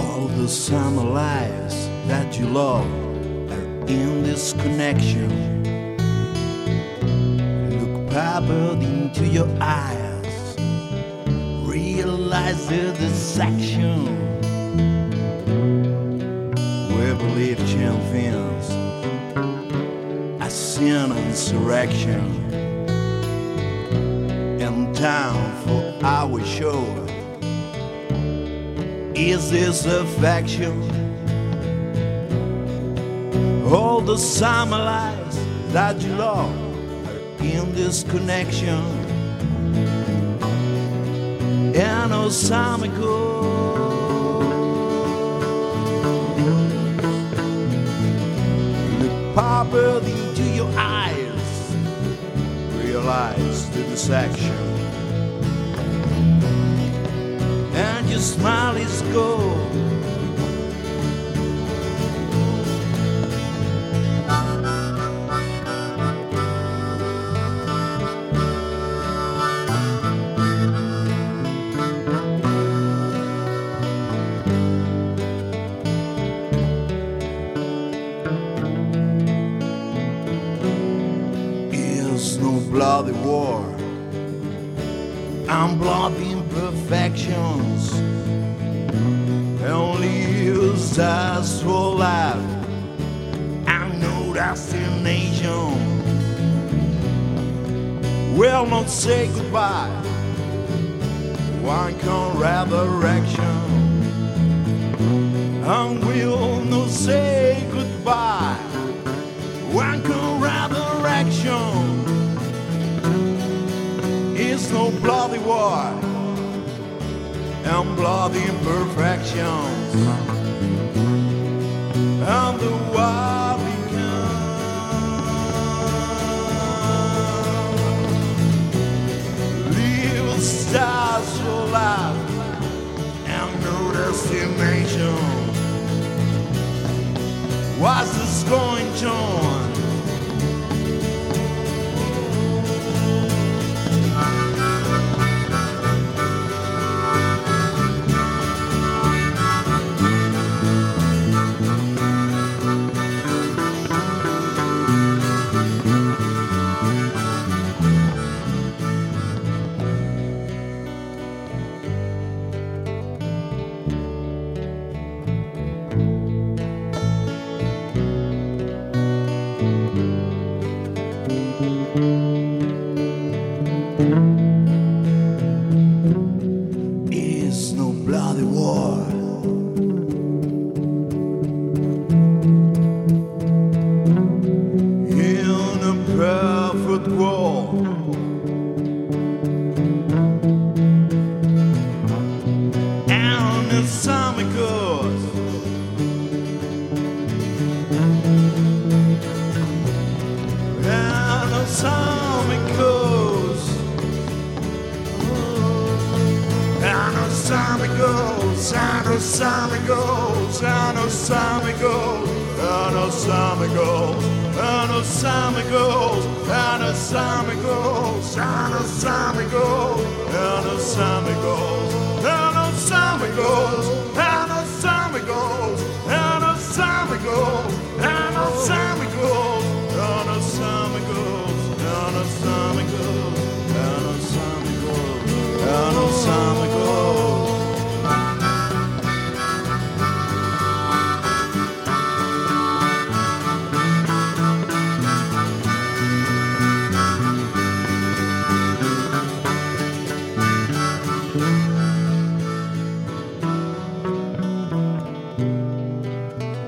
All the summer lives that you love are in this connection. Look peppered into your eyes, realize the dissection. We believe champions, a sin insurrection. In time for our show. Is this affection? All the summer lies that you love are in this connection. And no summer goes. Look peppered into your eyes, realize the dissection. And your smile is gold. and bloody imperfections, only used as for life and no destination. Will not say goodbye, one can resurrection, and will not say goodbye, one can resurrection. It's no bloody war and bloody imperfections, and the war becomes little stars for life and no destination. What's this going on? It's no bloody war in a perfect world, and it's time it goes, and it's time it goes, and it's time it goes, and it's time it goes, and it's time it goes, and it's time it goes, and it's time it goes, and it's time it goes, and it's time it goes, and it's time it goes, and it's time it goes, and it's time it goes, and it's time it goes, and it's time it goes, and it's time it goes, and it's time it goes, and it's time it goes, and it's time it goes.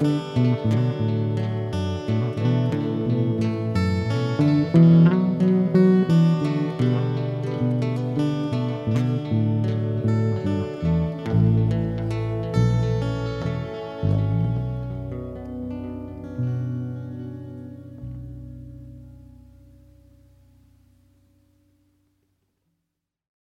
Thank you.